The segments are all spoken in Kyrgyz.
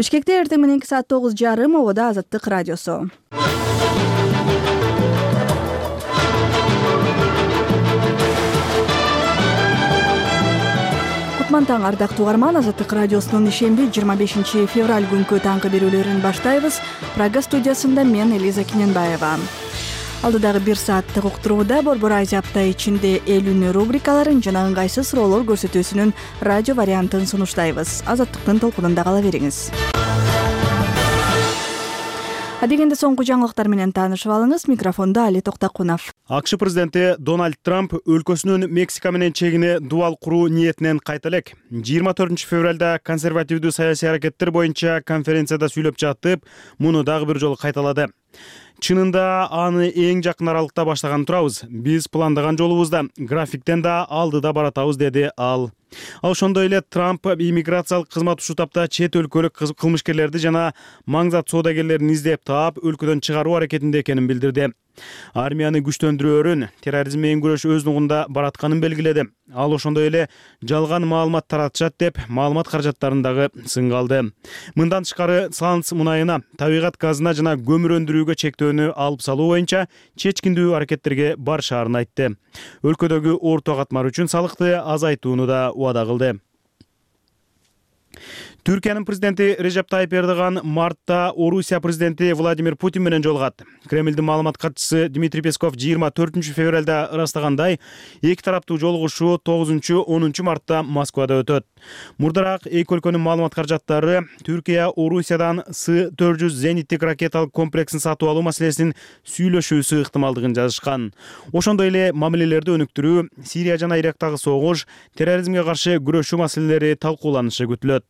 Бишкекте эртең мененки саат 9:30 обода Азаттык радиосу. Кутман таң, ардактуу угарман. Азаттык радиосунун ишемби 25 февраль күнкү таңкы берүүлөрүн баштайбыз. Прага студиясында мен Элиза Кененбаева. Алдыдагы 1 сааттык уктурууда Борбор Азия апта ичинде эл үнү рубрикаларын жана ыңгайсыз суроолор көрсөтүүсүнүн радио вариантын сунуштайбыз. Азаттыктын толкунунда кала бериңиз. Адегенде соңку жаңылыктар менен таанышып алыңыз. Микрофондо Али Токтакунов. АКШ президенти Дональд Трамп өлкөсүнүн Мексика менен чегине дубал куруу ниетинен кайта элек. 24 февралда консервативдүү саясий аракеттер боюнча конференцияда сүйлөп жатып, муну дагы бир жолу кайталады. Чынында аны эң жакын аралыкта баштаган турабыз. Биз пландаган жолубузда, графиктен да алдыда баратабыз, деди ал. Ошондой эле Трамп иммиграциялык кызмат ушул тапта чет өлкөлүк кылмышкерлерди жана маңзат соодагерлерин издеп таап, өлкөдөн чыгаруу аракетинде экенин билдирди. Армияны күчтөндүрөөрүн, терроризм менен күрөш өз нугунда баратканын белгиледи. Ал ошондой эле жалган маалымат таратышат деп, маалымат каражаттарын дагы сынга алды. Мындан тышкары Саланс мунайына, табигат газына жана көмүр өндүрүүгө чектөөнү алып салуу боюнча чечкиндүү аракеттерге барышаарын айтты. Өлкөдөгү орто катмар үчүн салыкты азайтууну да убада кылды. Түркиянын президенти Режеп Тайип Эрдоган мартта Орусия президенти Владимир Путин менен жолугат. Кремлдин маалымат катчысы Дмитрий Песков 24 февралда ырастагандай, эки тараптуу жолугушуу 9-10 мартта Москвада өтөт. Мурдараак эки өлкөнүн маалымат каражаттары Түркия Орусиядан С-400 зениттик ракеталык комплексин сатып алуу маселесин сүйлөшүүсү ыктымалдыгын жазышкан. Ошондой эле мамилелерди өнүктүрүү, Сирия жана Ирактагы согуш, терроризмге каршы күрөшүү маселелери талкууланышы күтүлөт.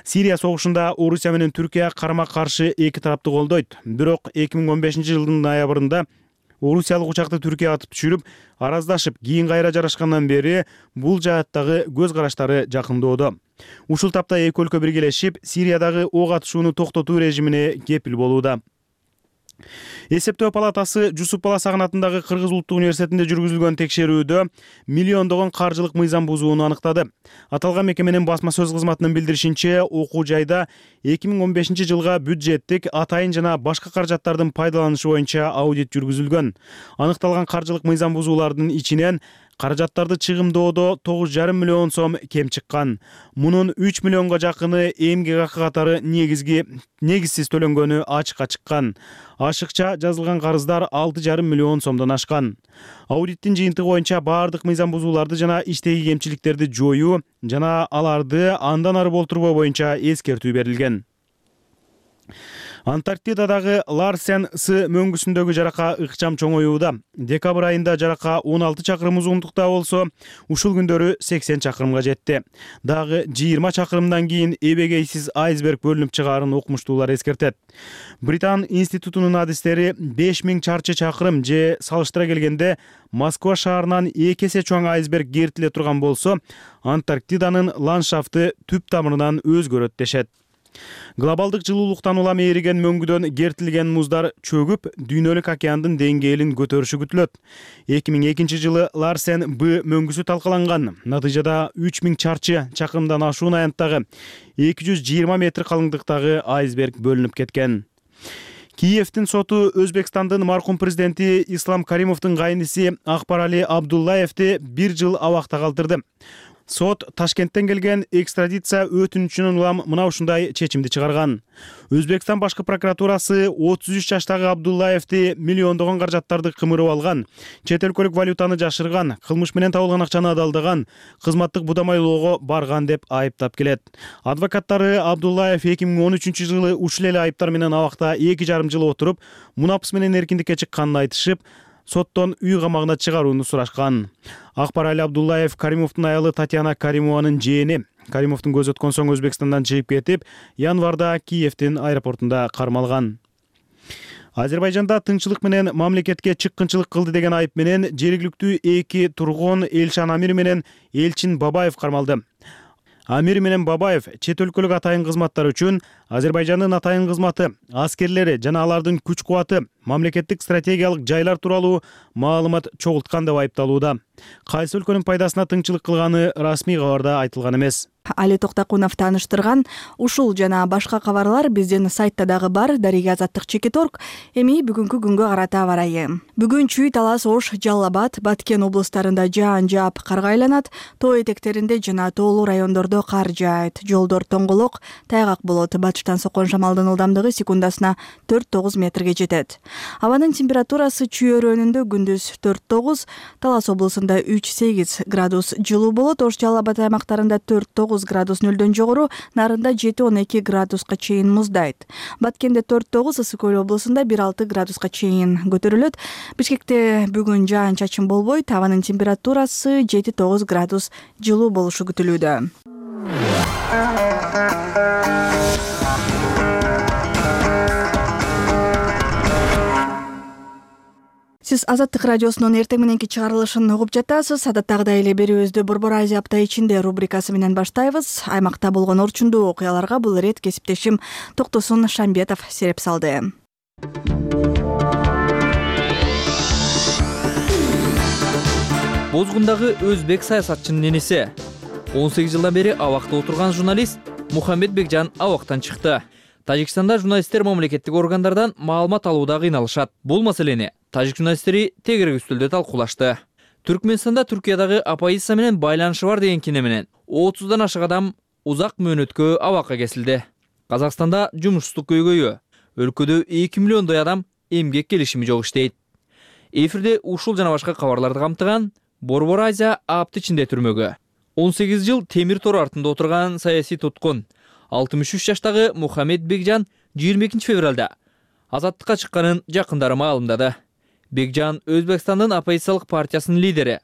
Сирия согушунда Орусия менен Түркия карама-каршы эки тараптуу колдойт. Бирок 2015 жылдын ноябрында Орусиялык учакты Түркия атып түшүрүп, араздашып, кийин кайра жарашкандан бери бул жааттагы көз караштары жакындоодо. Ушул тапта эки өлкө биргелешип, Сириядагы ок атышууну токтотуу режимине кепил болууда. Эсептөө палатасы Жусуп Баласагын атындагы Кыргыз улуттук университетинде жүргүзүлгөн текшерүүдө миллиондогон каржылык мыйзам бузууну аныктады. Аталган мекеменин басма сөз кызматынын билдиришинче, окуу жайда 2015 жылга бюджеттик, атайын жана башка каражаттардын пайдаланышы боюнча аудит жүргүзүлгөн. Аныкталган каржылык мыйзам бузуулардын ичинен каражаттарды чыгымдоодо 9,5 миллион сом кем чыккан. Мунун 3 миллионго жакыны эмгек акы катары негизсиз төлөнгөнү ачыкка чыккан. Ашыкча жазылган карыздар 6,5 миллион сомдон ашкан. Аудиттин жыйынтыгы боюнча баардык мыйзам бузууларды жана иштеги кемчиликтерди жоюу жана аларды андан ары болтурбоо боюнча эскертүү берилген. Антарктидадагы Ларсен С мөңгүсүндөгү жарака ыкчам чоңоюуда. Декабрь айында жарака 16 чакырым узундукта болсо, ушул күндөрү 80 чакырымга жетти. Дагы 20 чакырымдан кийин эбегейсиз айсберг бөлүнүп чыгаарын окумуштуулар эскертет. Британ институтунун адистери 5000 чарчы чакырым же салыштыра келгенде Москва шаарынан 2 эсе чоң айсберг кертиле турган болсо, Антарктиданын ландшафты түп тамырынан өзгөрөт дешет. Глобалдык жылуулуктан улам эриген мөңгүдөн кертилген муздар чөгүп, дүйнөлүк океандын деңгээлин көтөрүшү күтүлөт. 2002 жылы Ларсен Б мөңгүсү талкаланган. Натыйжада 3000 чарчы чакырымдан ашуун аянттагы 220 метр калыңдыктагы айсберг бөлүнүп кеткен. Киевдин соту Өзбекстандын маркум президенти Ислам Каримовдун кайниси Акбарали Абдуллаевди 1 жыл абакта калтырды. Сот Ташкенттен келген экстрадиция өтүнүчүнөн улам мына ушундай чечимди чыгарган. Өзбекстан башкы прокуратурасы 33 жаштагы Абдуллаевди миллиондогон каражаттарды кымырып алган, чет өлкөлүк валютаны жашырган, кылмыш менен табылган акчаны адалдаган, кызматтык будамайлоого барган деп айыптап келет. Адвокаттары Абдуллаев 2013 жылы ушул эле айыптар менен абакта 2,5 жыл отуруп, мунапыс менен эркиндикке чыкканын айтышып, соттон үй камагына чыгарууну сурашкан. Акбарали Абдуллаев Каримовдун аялы Татьяна Каримованын жээни. Каримовдун көзү өткөн соң Өзбекстандан чыгып кетип, январда Киевдин аэропортунда кармалган. Азербайжанда тынччылык менен мамлекетке чыккынчылык кылды деген айып менен жергиликтүү 2 тургун Элшан Амир менен Элчин Бабаев кармалды. Амир менен Бабаев чет өлкөлүк атайын кызматтар үчүн Азербайжандын атайын кызматы, аскерлери жана алардын күч кубаты, мамлекеттик стратегиялык жайлар тууралуу маалымат чогулткан деп айыпталууда. Кайсы өлкөнүн пайдасына тыңчылык кылганы расмий кабарда айтылган эмес. Али Токтакунов тааныштырган ушул жана башка кабарлар биздин сайтта дагы бар. Дарига Азаттык Чекиторг. Эми бүгүнкү күнгө карата барайы. Бүгүн Чүй, Талас, Ош, Жалал Абад, Баткен облустарында жаан жаап карга айланат. Тоо этектеринде жана тоолуу райондордо кар жаайт. Жолдор тоңголок, тайгак болот. Батыштан соккон шамалдын ылдамдыгы секундасына 4-9 метрге жетет. Абанын температурасы Чүй өрөөнүндө күндүз 4-9, Талас облусунда 3-8 градус жылуу болот. Ош, Жалал Абад аймактарында 4-9 градус нөлдөн жогору, нарында 7-12 градуска чейин муздайт. Баткенде 4-9, Ысык Көл облусунда 1-6 градуска чейин көтөрүлөт. Бишкекте бүгүн жаан-чачын болбойт. Абанын температурасы 7-9 градус жылуу болушу күтүлүүдө. Сиз Азаттык радиосунун эртең мененки чыгарылышын угуп жатасыз. Адаттагыдай эле берүүбүздү Борбор Азия апта ичинде рубрикасы менен баштайбыз. Аймакта болгон орчундуу окуяларга бул ирет кесиптешим Токтосун Шамбетов сереп салды. Бозгундагы өзбек саясатчынын энеси 18 жылдан бери абакта отурган журналист Мухаммед Бекжан абактан чыкты. Тажикстанда журналисттер мамлекеттик органдардан маалымат алууда кыйналышат. Бул маселени тажик журналисттери тегерек үстөлдө талкуулашты. Түркмөнстанда Түркиядагы оппозиция менен байланышы бар деген кине менен 30дан ашык адам узак мөөнөткө абакка кесилди. Казакстанда жумушсуздук көйгөйү, өлкөдө 2 миллиондой адам эмгек келишими жок иштейт. Эфирде ушул жана башка кабарларды камтыган Борбор Азия апта ичинде түрмөгө 18 жыл темир тор артында отурган саясий туткун 63 жаштагы Мухаммед Бекжан 22 февралда азаттыкка чыкканын жакындары маалымдады. Бекжан Өзбекстандын оппозициялык партиясынын лидери,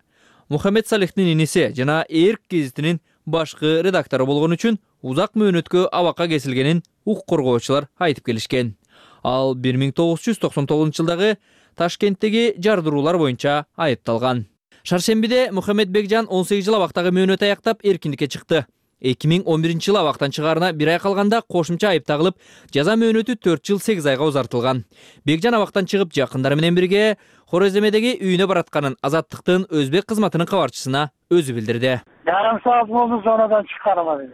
Мухаммед Салихтин энеси жана Эрк гезитинин башкы редактору болгон үчүн узак мөөнөткө абакка кесилгенин укук коргоочулар айтып келишкен. Ал 1999 жылдагы Ташкенттеги жардыруулар боюнча айыпталган. Шаршембиде Мухаммед Бекжан 18 жыл абактагы мөөнөт аяктап эркиндикке чыкты. 2011 жылы абактан чыгаарына 1 ай калганда кошумча айып тагылып, жаза мөөнөтү 4 жыл 8 айга узартылган. Бекжан абактан чыгып, жакындары менен бирге Хореземедеги үйүнө баратканын Азаттыктын өзбек кызматынын кабарчысына өзү билдирди. Жарым саат болду, сонадан чыкканым.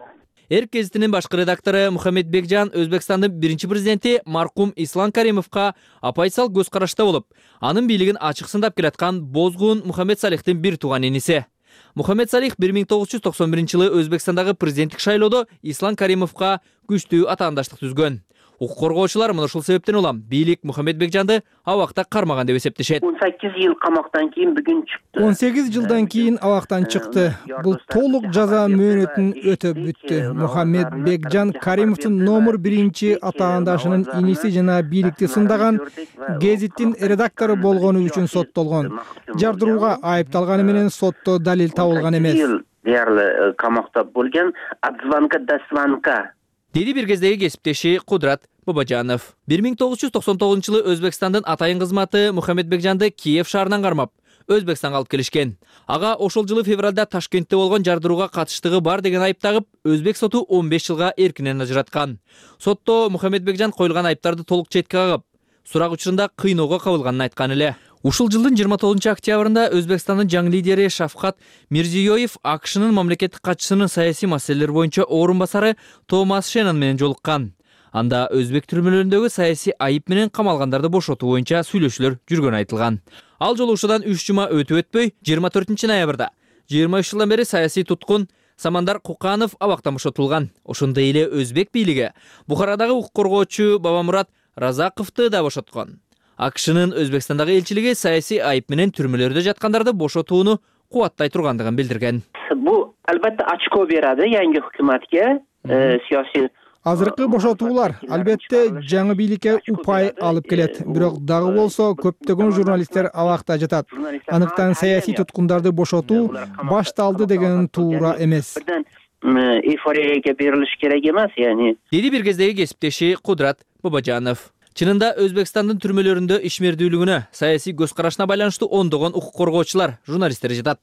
Эрк гезитинин башкы редактору Мухаммед Бекжан Өзбекстандын биринчи президенти маркум Ислам Каримовго оппозициялык көз карашта болуп, анын бийлигин ачык сындап келаткан бозгун Мухаммед Салихтин бир тууган эниси. Мухаммед Салих 1991 жылы Өзбекстандагы президенттик шайлоодо Ислам Каримовго күчтүү атаандаштык түзгөн. Укук коргоочулар мына ушул себептен улам бийлик Мухаммед Бекжанды абакта кармаган деп эсептешет. 18 жыл камактан кийин бүгүн чыкты. 18 жылдан кийин абактан чыкты. Бул толук жаза мөөнөтүн өтөп бүттү. Мухаммед Бекжан Каримовдун номер 1 атаандашынын иниси жана бийликти сындаган гезиттин редактору болгону үчүн соттолгон. Жардырууга айыпталганы менен сотто далил табылган эмес. Дээрле камакта болгон отзвонка до звонка. Деди бир кездеги кесиптеши Кудрат Бабажанов. 1999 жылы Өзбекстандын атайын кызматы Мухаммед Бекжанды Киев шаарынан кармап, Өзбекстанга алып келишкен. Ага ошол жылы февралда Ташкентте болгон жардырууга катыштыгы бар деген айып тагып, Өзбек соту 15 жылга эркинен ажыраткан. Сотто Мухаммед Бекжан коюлган айыптарды толук четке кагып, сурак учурунда кыйноого кабылганын айткан эле. Ушул жылдын 29 октябрында Өзбекстандын жаңы лидери Шавкат Мирзиёев АКШнын мамлекеттик катчысынын саясий маселелер боюнча орун басары Томас Шеннон менен жолуккан. Анда өзбек түрмөлөрүндөгү саясий айып менен камалгандарды бошотуу боюнча сүйлөшүүлөр жүргөнү айтылган. Ал жолугушуудан 3 жума өтпөй 24 ноябрда 23 жылдан бери саясий туткун Самандар Куканов абактан бошотулган. Ошондой эле өзбек бийлиги Бухарадагы укук коргоочу Бабамурат Разаковду да бошоткон. АКШнын Өзбекстандагы элчилиги саясий айып менен түрмөлөрдө жаткандарды бошотууну кубаттай тургандыгын билдирген. Бу албетте ачко берadi yangi hukumatga, siyosiy Азыркы бошотуулар албетте жаңы бийликке упай алып келет. Бирок дагы болсо көптөгөн журналисттер абакта жатат. Анықтан саясий туткундарды бошотуу башталды деген туура эмес. Эйфорияга берилиш керек эмес, яни. Деди бир кездеги кесиптеши Кудрат Бабажанов. Чынында Өзбекстандын түрмөлөрүндө ишмердүүлүгүнө, саясий көз карашына байланыштуу ондогон укук коргоочулар, журналисттер жатат.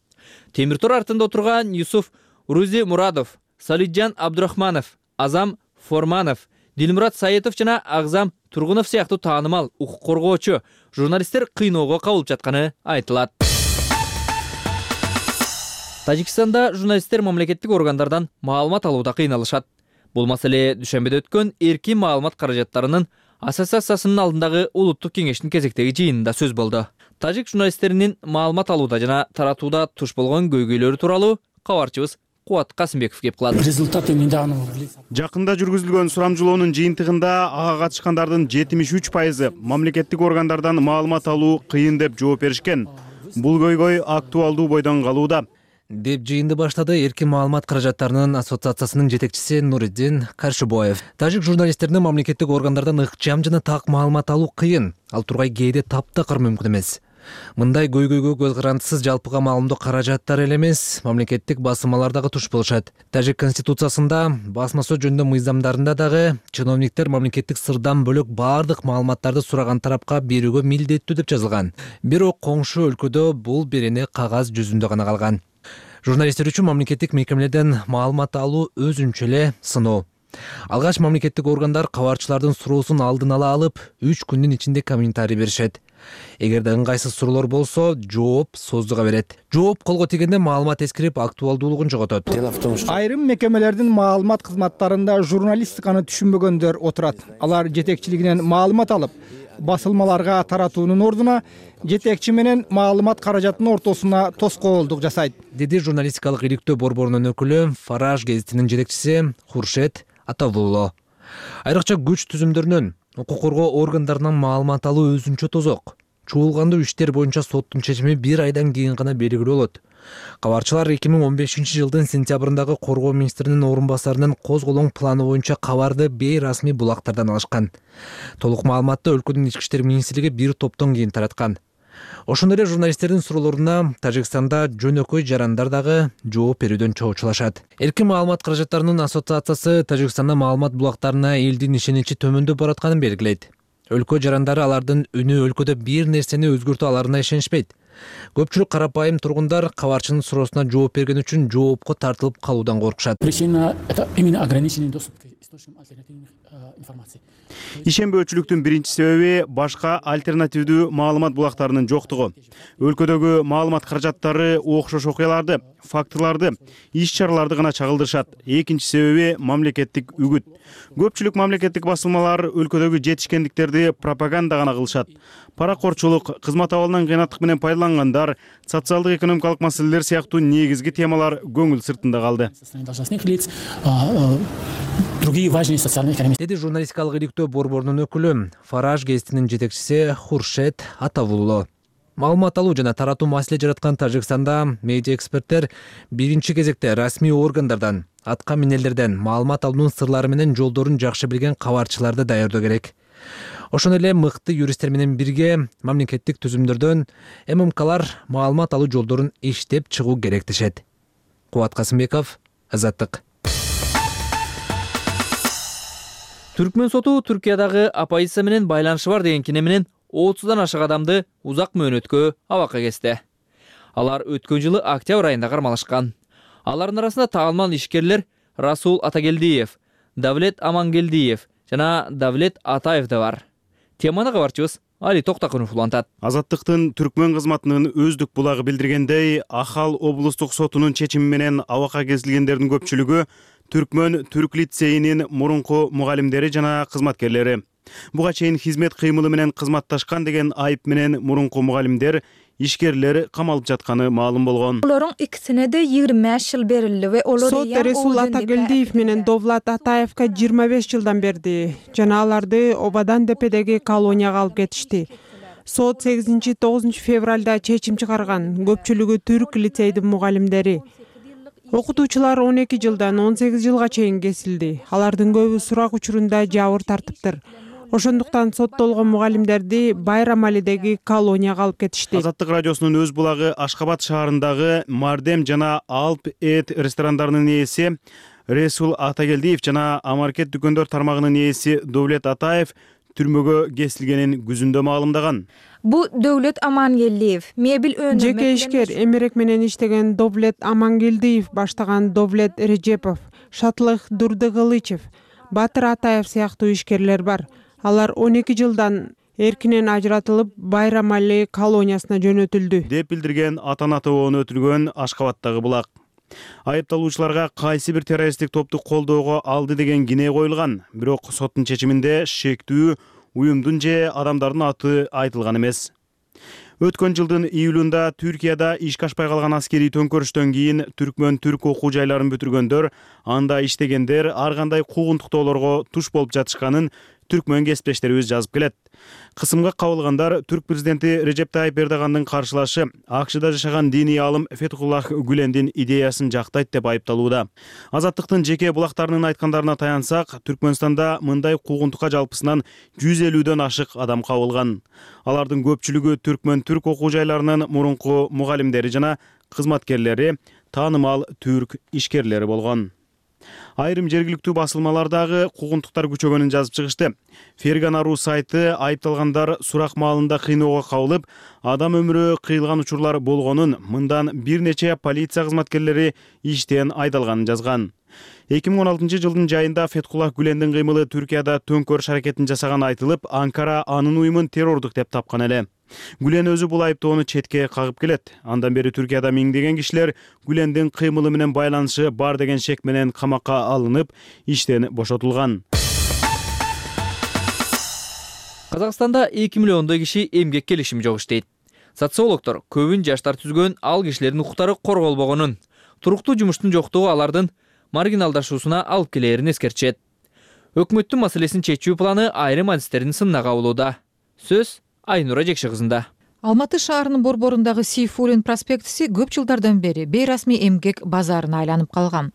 Темир тор артында отурган Юсуф Рузи Мурадов, Салиджан Абдурахманов, Азам Форманов, Дилмурат Саетов жана Агзам Тургунов сыяктуу таанымал укук коргоочу журналисттер кыйноого кабылып жатканы айтылат. Тажикстанда журналисттер мамлекеттик органдардан маалымат алууда кыйналышат. Бул маселе дүйшөмбүдө өткөн эркин маалымат каражаттарынын ассоциациясынын алдындагы улуттук кеңештин кезектеги жыйынында сөз болду. Тажик журналисттеринин маалымат алууда жана таратууда туш болгон көйгөйлөрү тууралуу кабарчыбыз Кубат Касымбеков кеп кылат. Жакында жүргүзүлгөн сурамжылоонун жыйынтыгында ага катышкандардын 73% мамлекеттик органдардан маалымат алуу кыйын деп жооп беришкен. Бул көйгөй актуалдуу бойдон калууда деп жыйынды баштады эркин маалымат каражаттарынын ассоциациясынын жетекчиси Нуриддин Каршыбоев. Тажик журналисттерине мамлекеттик органдардан ыкчам жана так маалымат алуу кыйын, ал тургай кээде таптакыр мүмкүн эмес. Мындай көйгөйгө көз карандысыз жалпыга маалымдоо каражаттар эле эмес, мамлекеттик басымалар дагы туш болушат. Тажик конституциясында, басма сөз жөнүндө мыйзамдарында дагы чиновниктер мамлекеттик сырдан бөлөк баардык маалыматтарды сураган тарапка берүүгө милдеттүү деп жазылган. Бирок коңшу өлкөдө бул берене кагаз жүзүндө гана калган. Журналисттер үчүн мамлекеттик мекемелерден маалымат алуу өзүнчө эле сыноо. Алгач мамлекеттик органдар кабарчылардын суроосун алдын ала алып, 3 күндүн ичинде комментарий беришет. Эгерде ыңгайсыз суроолор болсо, жооп создуга берет. Жооп колго тийгенде маалымат эскирип, актуалдуулугун жоготот. Айрым мекемелердин маалымат кызматтарында журналистиканы түшүнбөгөндөр отурат. Алар жетекчилигинен маалымат алып, басылмаларга таратуунун ордуна жетекчи менен маалымат каражатынын ортосуна тоскоолдук жасайт, деди журналистикалык иликтөө борборунун өкүлү Фараж гезитинин жетекчиси Хуршет Атавулло. Айрыкча күч түзүмдөрүнөн, укук коргоо органдарынан маалымат алуу өзүнчө тозок. Чуулгандуу иштер боюнча соттун чечими 1 айдан кийин гана белгилүү болот. Кабарчылар 2015-жылдын сентябрындагы коргоо министринин орун басарынын козголоң планы боюнча кабарды бейрасмий булактардан алышкан. Толук маалыматты өлкөнүн ички иштер министрлиги бир топтон кийин тараткан. Ошондой эле журналисттердин суроолоруна Тажикстанда жөнөкөй жарандар дагы жооп берүүдөн чоочулашат. Эркин маалымат каражаттарынын ассоциациясы Тажикстанда маалымат булактарына элдин ишеничи төмөндөп баратканын белгилейт. Өлкө жарандары алардын үнү өлкөдө бир нерсени өзгөртө аларына ишенишпейт. Көпчүлүк карапайым тургундар кабарчынын суроосуна жооп берген үчүн жоопко тартылып калуудан коркушат. Ишенбөөчүлүктүн биринчи себеби башка альтернативдүү маалымат булактарынын жоктугу. Өлкөдөгү маалымат каражаттары окшош окуяларды, фактыларды, иш-чараларды гана чагылдырышат. Экинчи себеби мамлекеттик үгүт. Көпчүлүк мамлекеттик басылмалар өлкөдөгү жетишкендиктерди пропаганда гана кылышат. Паракорчулук, кызмат абалынан кыйнаттык менен пайдалангандар, социалдык экономикалык маселелер сыяктуу негизги темалар көңүл сыртында калды. Деди журналистикалык иликтөө борборунун өкүлү Фараж гезитинин жетекчиси Хуршет Атавулло. Маалымат алуу жана таратуу маселе жараткан Тажикстанда медиа эксперттер биринчи кезекте расмий органдардан, атка минелерден маалымат алуунун сырлары менен жолдорун жакшы билген кабарчыларды даярдоо керек. Ошондой эле мыкты юристтер менен бирге мамлекеттик түзүмдөрдөн ММКлар маалымат алуу жолдорун иштеп чыгуу керек дешет. Кубат Касымбеков, Азаттык. Түркмөн соту Түркиядагы оппозиция менен байланышы бар деген кине менен 30дан ашык адамды узак мөөнөткө абакка кести. Алар өткөн жылы октябрь айында кармалышкан. Алардын арасында таанымал ишкерлер Расул Атагелдиев, Давлет Амангелдиев жана Давлет Атаев да бар. Теманы кабарчыбыз Али Токтакунов улантат. Азаттыктын Түркмөн кызматынын өздүк булагы билдиргендей, Ахал облустук сотунун чечими менен абакка кесилгендердин көпчүлүгү Түркмөн Түрк лицейинин мурунку мугалимдери жана кызматкерлери. Буга чейин хизмет кыймылы менен кызматташкан деген айып менен мурунку мугалимдер, ишкерлер камалып жатканы маалым болгон. Олорун икисине де 25 жыл берилди ve олар Сот Расул Атагелдиев менен Довлат Атаевка 25 жылдан берди. Жана аларды Обадан депедеги колонияга алып кетишти. Сот 8-9 февралда чечим чыгарган. Көпчүлүгү түрк лицейдин мугалимдери. Окутуучулар 12 жылдан 18 жылга чейин кесилди. Алардын көбү сурак учурунда жабыр тартыптыр. Ошондуктан соттолгон мугалимдерди Байрамалидеги колонияга алып кетишти. Азаттык радиосунун өз булагы Ашкабад шаарындагы Мардем жана Алп эт ресторандарынын ээси Расул Атагелдиев жана Амаркет дүкөндөр тармагынын ээси Довлет Атаев түрмөгө кесилгенин күзүндө маалымдаган. Бу Довлет Амангелдиев мебель өнүмү жеке ишкер эмерек менен иштеген Довлет Амангелдиев баштаган Довлет Режепов, Шатлык Дурдыгылычев, Батыр Атаев сыяктуу ишкерлер бар. Алар 12 жылдан эркинен ажыратылып, Байрам Али колониясына жөнөтүлдү, деп билдирген ата-ана тобону өтүлгөн Ашкабадтагы булак. Айыпталуучуларга кайсы бир террористтик топту колдоого алды деген кине коюлган, бирок соттун чечиминде шектүү уюмдун же адамдардын аты айтылган эмес. Өткөн жылдын июлунда Түркияда ишке ашпай калган аскерий төңкөрүштөн кийин түркмөн түрк окуу жайларын бүтүргөндөр, анда иштегендер ар кандай куугунтуктоолорго туш болуп жатышканын түркмөн кесиптештерибиз жазып келет. Кысымга кабылгандар түрк президенти Режеп Тайип Эрдогандын каршылашы АКШда жашаган диний алым Фетхуллах Гүлендин идеясын жактайт деп айыпталууда. Азаттыктын жеке булактарынын айткандарына таянсак, Түркмөнстанда мындай куугунтукка жалпысынан 150дөн ашык адам кабылган. Алардын көпчүлүгү түркмөн түрк окуу жайларынын мурунку мугалимдери жана кызматкерлери, таанымал түрк ишкерлери болгон. Айрым жергиликтүү басылмалардагы куугунтуктар күчөгөнүн жазып чыгышты. Fergana.ru сайты айыпталгандар сурак маалында кыйноого кабылып, адам өмүрү кыйылган учурлар болгонун, мындан бир нече полиция кызматкерлери иштен айдалганын жазган. 2016 жылдын жайында Фетхуллах Гүлендин кыймылы Түркияда төңкөрүш аракетин жасаган айтылып, Анкара анын уюмун террордук деп тапкан эле. Гүлен өзү бул айыптоону четке кагып келет. Андан бери Түркияда миңдеген кишилер Гүлендин кыймылы менен байланышы бар деген шек менен камакка алынып, иштен бошотулган. Казакстанда 2 миллиондой киши эмгек келишими жок иштейт. Социологдор көбүн жаштар түзгөн ал кишилердин укуктары корголбогонун, туруктуу жумуштун жоктугу алардын маргиналдашуусуна алып келээрин эскертишет. Өкмөттүн маселесин чечүү планы айрым адистердин сынына кабылууда. Сөз Айнура Жекши кызында. Алматы шаарынын борборундагы Сейфуллин проспектиси көп жылдардан бери бейрасмий эмгек базарына айланып калган.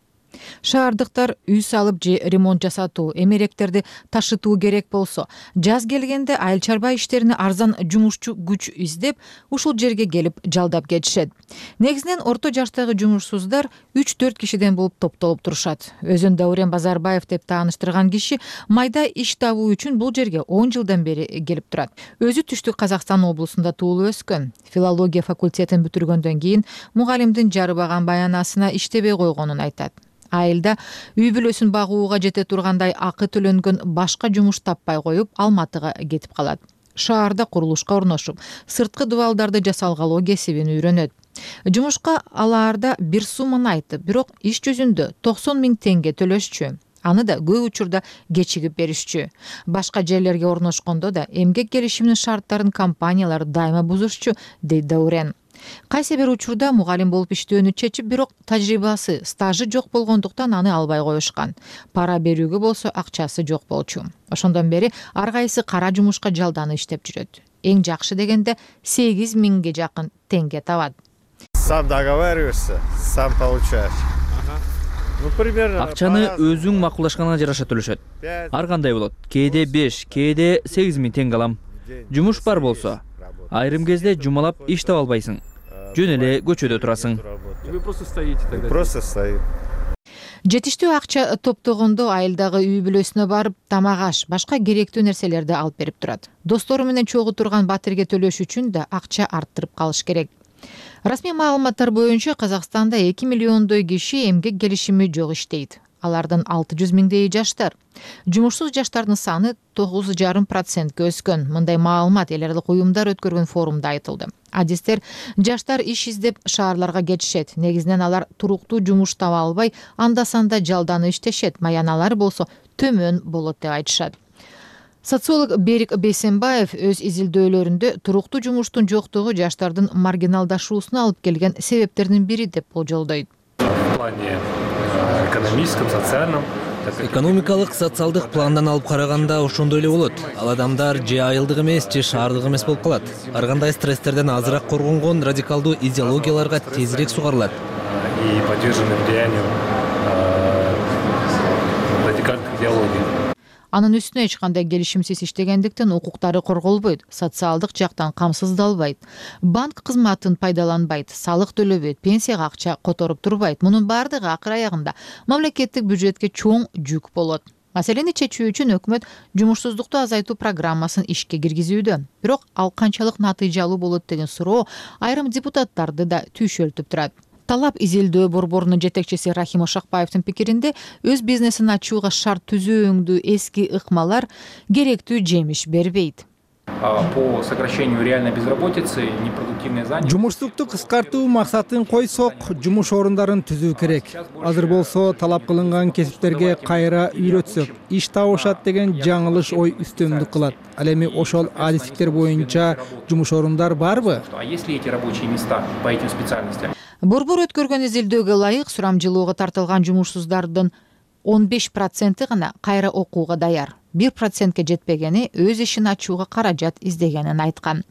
Шаардыктар үй салып же ремонт жасатуу, эмеректерди ташытуу керек болсо, жаз келгенде айыл чарба иштерине арзан жумушчу күч издеп, ушул жерге келип жалдап кетишет. Негизинен орто жаштагы жумушсуздар 3-4 кишиден болуп топтолуп турушат. Өзүн Даурен Базарбаев деп тааныштырган киши майда иш табуу үчүн бул жерге 10 жылдан бери келип турат. Өзү Түштүк Казакстан облусунда туулуп өскөн. Филология факультетин бүтүргөндөн кийин мугалимдин жарыбаган баянасына иштебей койгонун айтат. Айылда үй бүлөсүн багууга жете тургандай акы төлөнгөн башка жумуш таппай коюп, Алматыга кетип калат. Шаарда курулушка орношуп, сырткы дубалдарды жасалгалоо кесибин үйрөнөт. Жумушка алаарда бир сумманы айтып, бирок иш жүзүндө 90 000 теңге төлөшчү. Аны да көп учурда кечигип беришчү. Башка жерлерге орношкондо да эмгек келишиминин шарттарын компаниялар дайыма бузушчу, дейт Даурен. Кайсы бир учурда мугалим болуп иштөөнү чечип, бирок тажрыйбасы, стажы жок болгондуктан аны албай коюшкан. Пара берүүгө болсо акчасы жок болчу. Ошондон бери ар кайсы кара жумушка жалданып иштеп жүрөт. Эң жакшы дегенде 8 000 жакын теңге табат. Сам договариваешься, сам получаешь. Акчаны өзүң макулдашканга жараша төлөшөт. Ар кандай болот. Кээде 5, кээде 8 000 теңге алам. Жумуш бар болсо, айрым кезде жумалап иш таба албайсың. Жөн эле көчөдө турасың. Вы просто стоите тогда. Просто стоит. Жетиштүү акча топтогондо айылдагы үй бүлөсүнө барып, тамак аш, башка керектүү нерселерди алып берип турат. Достору менен чогуу турган батирге төлөш үчүн да акча арттырып калыш керек. Расмий маалыматтар боюнча Казакстанда 2 миллиондой киши эмгек келишими жок иштейт. Алардын 600 000 жаштар. Жумушсуз жаштардын саны 9,5%ке өскөн. Мындай маалымат эл аралык уюмдар өткөргөн форумда айтылды. Адистер жаштар иш издеп шаарларга кетишет. Негизинен алар туруктуу жумуш таба албай, анда-санда жалданып иштешет. Маяналар болсо төмөн болот деп айтышат. Социолог Берик Бейсенбаев өз изилдөөлөрүндө туруктуу жумуштун жоктугу жаштардын маргиналдашуусуна алып келген себептердин бири деп болжолдойт. В плане экономическом, социальном. Экономикалык, социалдык пландан алып караганда ошондой эле болот. Ал адамдар же айылдык эмес, же шаардык эмес болуп калат. Ар кандай стресстерден азыраак коргонгон радикалдуу идеологияларга тезирээк сугарылат. И подвержены влиянию радикальных идеологий. Анын үстүнө эч кандай келишимсиз иштегендиктен укуктары корголбойт, социалдык жактан камсыздалбайт, банк кызматын пайдаланбайт, салык төлөбөйт, пенсияга акча которуп турбайт. Мунун баардыгы акыр аягында мамлекеттик бюджетке чоң жүк болот. Маселени чечүү үчүн өкмөт жумушсуздукту азайтуу программасын ишке киргизүүдө. Бирок ал канчалык натыйжалуу болот деген суроо айрым депутаттарды да түйшөлтүп турат. талап изилдөө борборунун жетекчиси Рахим Ошакбаевдин пикиринде өз бизнесин ачууга шарт түзүүңдүү эски ыкмалар керектүү жемиш бербейт. По сокращению реальной безработицы, непродуктивной занятости. Жумуштукту кыскартуу максатын койсок, жумуш орундарын түзүү керек. Азыр болсо талап кылынган кесиптерге кайра үйрөтсөк, иш табышат деген жаңылыш ой үстөмдүк кылат. Ал эми ошол адистиктер боюнча жумуш орундар барбы? А если эти рабочие места по этим специальностям? Борбор өткөргөн изилдөөгө ылайык сурамжылоого тартылган жумушсуздардын 15% гана кайра окууга даяр. 1%ке жетпегени өз ишин ачууга каражат издегенин айткан.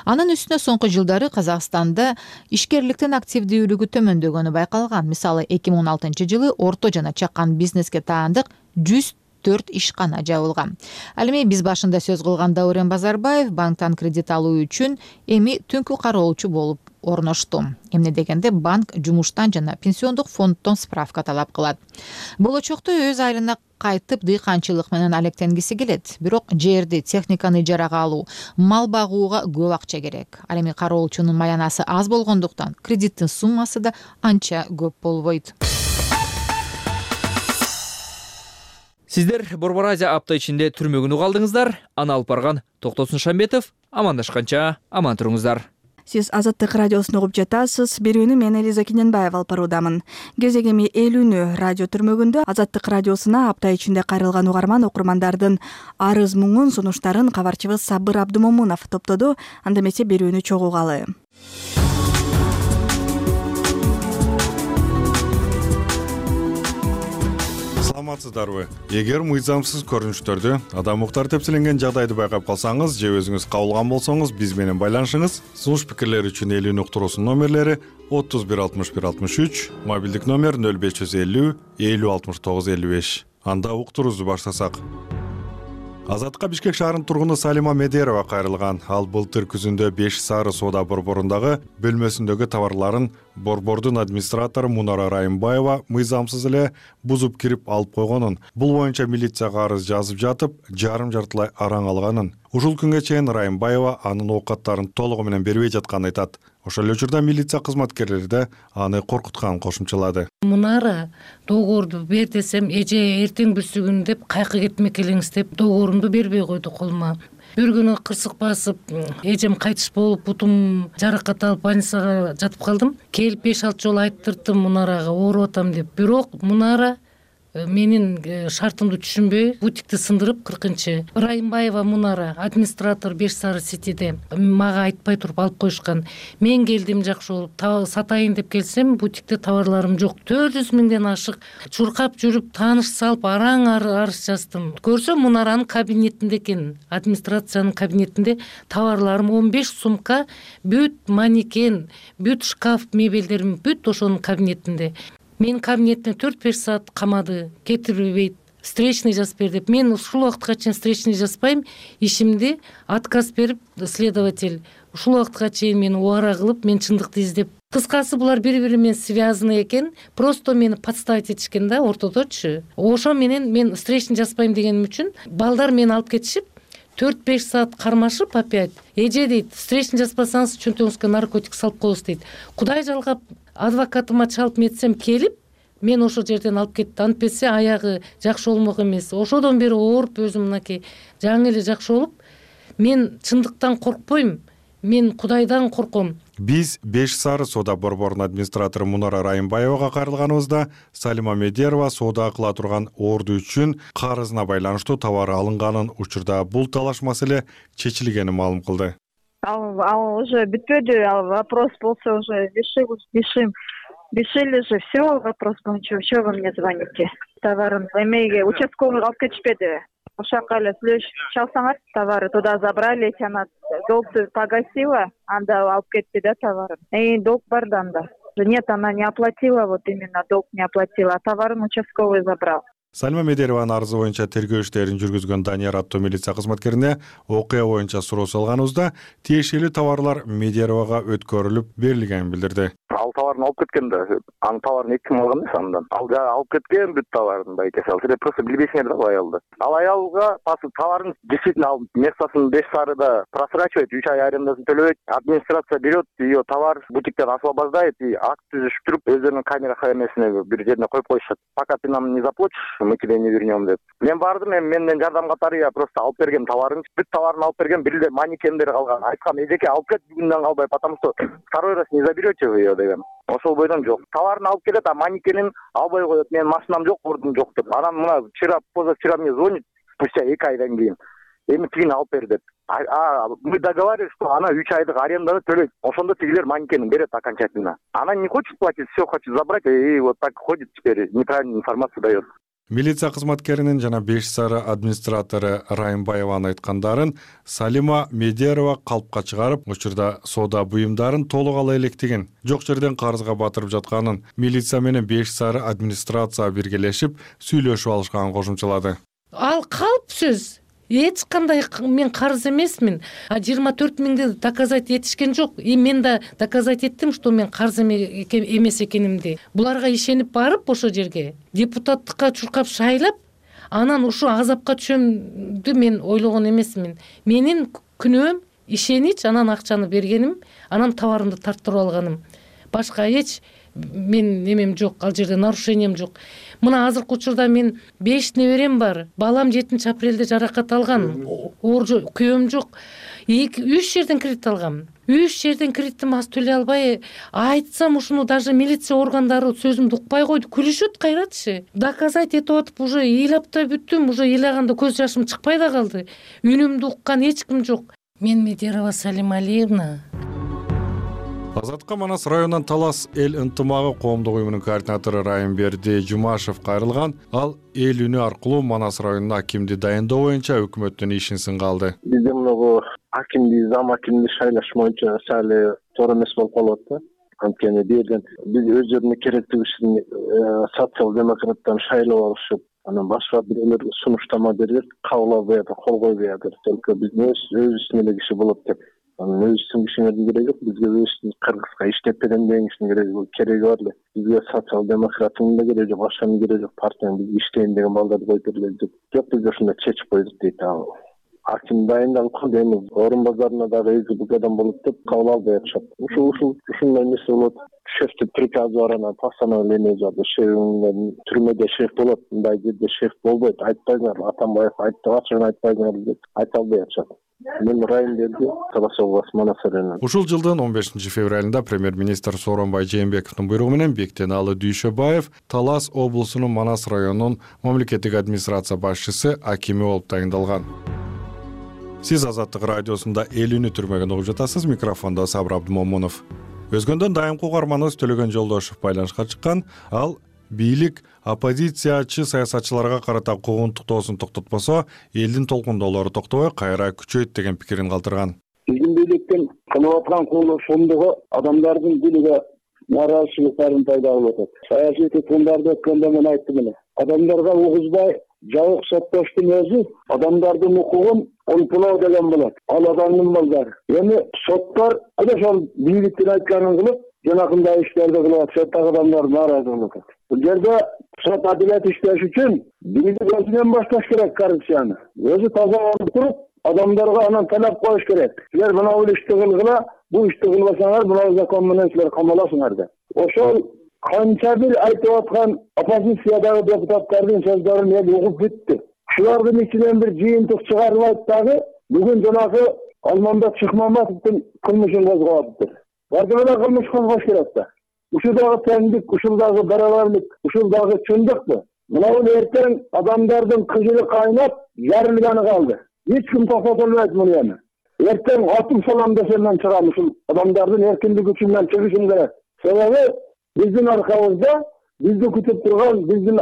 Анын үстүнө соңку жылдары Казакстанда ишкерликтин активдүүлүгү төмөндөгөнү байкалган. Мисалы 2016 жылы орто жана чакан бизнеске таандык 104 ишкана жабылган. Ал эми биз башында сөз кылган Даурен Базарбаев банктан кредит алуу үчүн эми түнкү кароолчу болуп орношту. Эмне дегенде банк жумуштан жана пенсиондук фонддон справка талап кылат. Болочокто өз айылына кайтып дыйканчылык менен алектенгиси келет. Бирок жерди, техниканы ижарага алуу, мал багууга көп акча керек. Ал эми кароолчунун маянасы аз болгондуктан кредиттин суммасы да анча көп болбойт. Сиздер Борбор Азия апта ичинде түрмөгүн угалдыңыздар. Аны алып барган Токтосун Шамбетов. Амандашканча аман туруңуздар. Сиз Азаттык радиосун угуп жатасыз. Берүүнү мен Элиза Киненбаева алып баруудамын. Кезегеми 50 радио түрмөгүндө Азаттык радиосуна апта ичинде кайрылган угарман окурмандардын арыз муңун, сунуштарын кабарчыбыз Сабыр Абдымомунов топтоду. Анда эмесе берүүнү чогуу угалы. Саламатсыздарбы? Эгер мыйзамсыз көрүнүштөрдү, адам укуктары тепселенген жагдайды байкап калсаңыз же өзүңүз кабылган болсоңуз, биз менен байланышыңыз. Сунуш пикирлер үчүн элүүнү уктуруусунун номерлери 316163, мобилдик номер 0550 50 69 55. Анда уктуруубузду баштасак. Азатка Бишкек шаарынын тургуну Салима Медерова кайрылган. Ал былтыр күзүндө 5 сары соода борборундагы бөлмөсүндөгү товарларын борбордун администратору Мунара Райымбаева мыйзамсыз эле бузуп кирип алып койгонун, бул боюнча милицияга арыз жазып жатып, жарым-жартылай араң алганын. Ушул күнгө чейин Райымбаева анын оокаттарын толугу менен бербей жатканын айтат. Ошол эле учурда милиция кызматкерлери да аны коркутканын кошумчалады. Мунара договорду бер десем, эже эртең бүрсүгүн деп кайкы кетмек элеңиз деп договорумду бербей койду колума. Бир күнү кырсык басып, эжем кайтыш болуп, бутум жаракат алып больницага жатып калдым. Келип 5-6 жолу айттырдым Мунарага ооруп атам деп. Бирок Мунара менин шартымды түшүнбөй, бутикти сындырып 40-чы. Райымбаева Мунара, администратор 5 сары ситиде мага айтпай туруп алып коюшкан. Мен келдим жакшы болуп, сатайын деп келсем, бутикте товарларым жок. 400 миңден ашык чуркап жүрүп, тааныш салып, араң арыз жаздым. Көрсөм Мунаранын кабинетинде экен, администрациянын кабинетинде товарларым 15 сумка, бүт манекен, бүт шкаф мебелдерим бүт ошонун кабинетинде. Мен кабинетине 4-5 саат камады, кетирбейт, встречный жазып бер деп. Мен ушул убакытка чейин встречный жазбайм, ишимди отказ берип, следователь ушул убакытка чейин мени убара кылып, мен чындыкты издеп. Кыскасы булар бири-бири менен связаны экен, просто мени подставить этишкен да ортодочу. Ошо менен мен встречный жазбайм дегеним үчүн балдар мени алып кетишип, 4-5 саат кармашып опять. Эже дейт, встречный жазбасаңыз чөнтөгүңүзгө наркотик салып коебуз дейт. Кудай жалгап адвокатыма чалып метсем келип, мен ошол жерден алып кетти. Антпесе аягы жакшы болмок эмес. Ошодон бери ооруп өзүм мынакей жаңы эле жакшы болуп, мен чындыктан коркпойм. Мен Кудайдан корком. Биз 5 сары соода борборунун администратору Мунара Райымбаевага кайрылганыбызда Салима Медерова соода кыла турган орду үчүн карызына байланыштуу товар алынганын, учурда бул талаш маселе чечилгенин маалым кылды. Ал уже бүтпөдү, вопрос болсо уже решили же все, вопрос боюнча, что вы мне звоните? Товарын эмеге участковый алып кетишпеди. Ошака эле сүйлөшүп чалсаңар, товары туда забрали, она долгту погасила, анда алып кетти да товарын. Долг бар да анда. Нет, она не оплатила, вот именно долг не оплатила, а товарын участковый забрал. Салима Медерованын арызы боюнча тергөө иштерин жүргүзгөн Данияр аттуу милиция кызматкерине окуя боюнча суроо салганыбызда тиешелүү товарлар Медеровага өткөрүлүп берилгенин билдирди. Ал товарын алып кеткен да. Анын товарын эч ким алган эмес андан. Ал алып кеткен бүт товарын байкеси. Ал просто билбейсиңер да аялды. Ал аялга товарын действительно алып местосын 5 сарыда просрачивает, 3 ай арендасын төлөбөйт. Администрация берет, ее товар бутиктен освобождает и акт түзүшүп туруп, өздөрүнүн камера хозяйнасына бир жерине коюп коюшат. Пока ты нам не заплатишь, мы тебе не вернем деп. Мен бардым, менден жардам катары я просто алып берген товарын, бүт товарын алып берген, бир эле манекендер калган. Айткам, эжеке алып кет бүгүндөн калбай, потому что второй раз не заберете вы ее деген. Ошол бойдон жок. Товарын алып келет, а манекенин албай коет. Менин машинам жок, ордум жок деп. Анан мына позавчера мне звонит спустя 2 айдан кийин. Эми тигини алып бер деп. Мы договаривались, что она 3 айдык аренданы төлөйт. Ошондо тигилер манекенин берет окончательно. Она не хочет платить, все хочет забрать, и вот так ходит теперь, неправильную информацию дает. Милиция кызматкеринин жана 5 сары администратору Райымбаеванын айткандарын Салима Медерова калпка чыгарып, учурда соода буюмдарын толук ала электигин, жок жерден карызга батырып жатканын, милиция менен 5 сары администрация биргелешип сүйлөшүп алышканын кошумчалады. Ал калп сөз. Эч кандай мен карыз эмесмин. 24 миңди доказать этишкен жок. И мен да доказать эттим, что мен карыз эмес экенимди. Буларга ишенип барып ошо жерге депутаттыкка чуркап шайлап, анан ушул азапка түшөмдү мен ойлогон эмесмин. Менин күнөөм ишенич, анан акчаны бергеним, анан товарымды тарттырып алганым. Башка эч мен немем жок, ал жерде нарушением жок. Мына азыркы учурда мен 5 неберем бар. Балам 7-апрелде жаракат алган. Күйөөм жок. 3 жерден кредит алгам. 3 жерден кредитим аз төлөй албай, айтсам ушуну даже милиция органдары сөзүмдү укпай койду. Күлүшөт кайратчы. Доказать этип атып уже ыйлап да бүттүм, уже ыйлаганда көз жашым чыкпай да калды. Үнүмдү уккан эч ким жок. Мен Медерова Салима Алиевна. Азатка Манас районунан Талас эл ынтымагы коомдук уюмунун координатору Райымберди Жумашев кайрылган. Ал эл үнү аркылуу Манас районуна акимди дайындоо боюнча өкмөттүн ишин сынга алды. Бизде мынагу акимди, зам акимди шайлаш боюнча сали туура эмес болуп калат да. Анткени берген биз өздөрүнүн керектиги үчүн социал-демократтан шайлап алышып, анан башка бирөөлөр сунуштама берип, кабыл албай атат, кол койбой атат. Только биз өзүбүздүн эле киши болот деп. Өзүбүздүн кишиңердин кереги жок, бизге өзүбүздүн кыргызга иштеп берем деген кишинин кереги бар эле. Бизге социал-демократтын да кереги жок, башканын кереги жок, партиянын бизге иштейин деген балдарды коюп бергиле деп. Жок, биз ошондой чечип койдук дейт. Аким дайындалып калды, эми орун базарына дагы эки адам болот деп кабыл албай атышат. Ушундай нерсе болот. Шефти приказ бар, анан постановление жазды. Шефиңер түрмөдө шеф болот, мындай жерде шеф болбойт. Айтпаңар, Атамбаев айтты, ачыгын айтпаңар деп айта албай атышат. Мен Райымберди Талас областы Манас районунан. Ушул жылдын 15 февралында премьер-министр Сооронбай Жээнбековдун буйругу менен Бектеналы Дүйшөбаев Талас облусунун Манас районунун мамлекеттик администрация башчысы акими болуп тагындалган. Сиз Азаттык радиосунда эл үнү түрмөгүн угуп жатасыз. Микрофондо Сабыр Абдымомунов. Өзгөндөн дайымкы угарманыбыз Төлөгөн Жолдошов байланышка чыккан. Ал бийлик оппозициячы саясатчыларга карата куугунтуктоосун токтотпосо, элдин толкундоолору токтобой кайра күчөйт деген пикирин калтырган. Биздин бийликтин кылып аткан кылмышындыгы адамдардын дилиге нааразычылыктарын пайда кылып атат. Саясий туткундарды өткөндө мен айттым эле. Адамдарга угузбай жабык соттоштун өзү адамдардын укугун олпулоо деген болот. Ал адамдын балдары. Эми соттор ошол бийликтин айтканын кылып, жанакындай иштерди кылып атышат, адамдар нааразы болуп атат. Бул жерде сот адилет иштеш үчүн бийлик өзүнөн башташ керек коррупцияны. Өзү таза болуп туруп, адамдарга анан талап коюш керек. Силер мына бул ишти кылгыла, бул ишти кылбасаңар, мына закон менен силер камаласыңар деп. Ошол канча бир айтып аткан оппозициядагы депутаттардын сөздөрүн эл угуп бүттү. Шулардын ичинен бир жыйынтык чыгарылат дагы бүгүн жанагы Алмамбет Шыкмамбетовдун кылмышын козгоптур. Бардыгы да кылмыш козгош керек да. Ушул дагы теңдик, ушул дагы барабарлык, ушул дагы чындыкпы? Мына бул эртең адамдардын кыжыры кайнап, жарылганы калды. Эч ким токтото албайт муну эми. Эртең атым салам десем мен чыгам, ушул адамдардын эркиндик үчүн чыгышым керек. Себеби биздин аркабызда бизди күтүп турган, биздин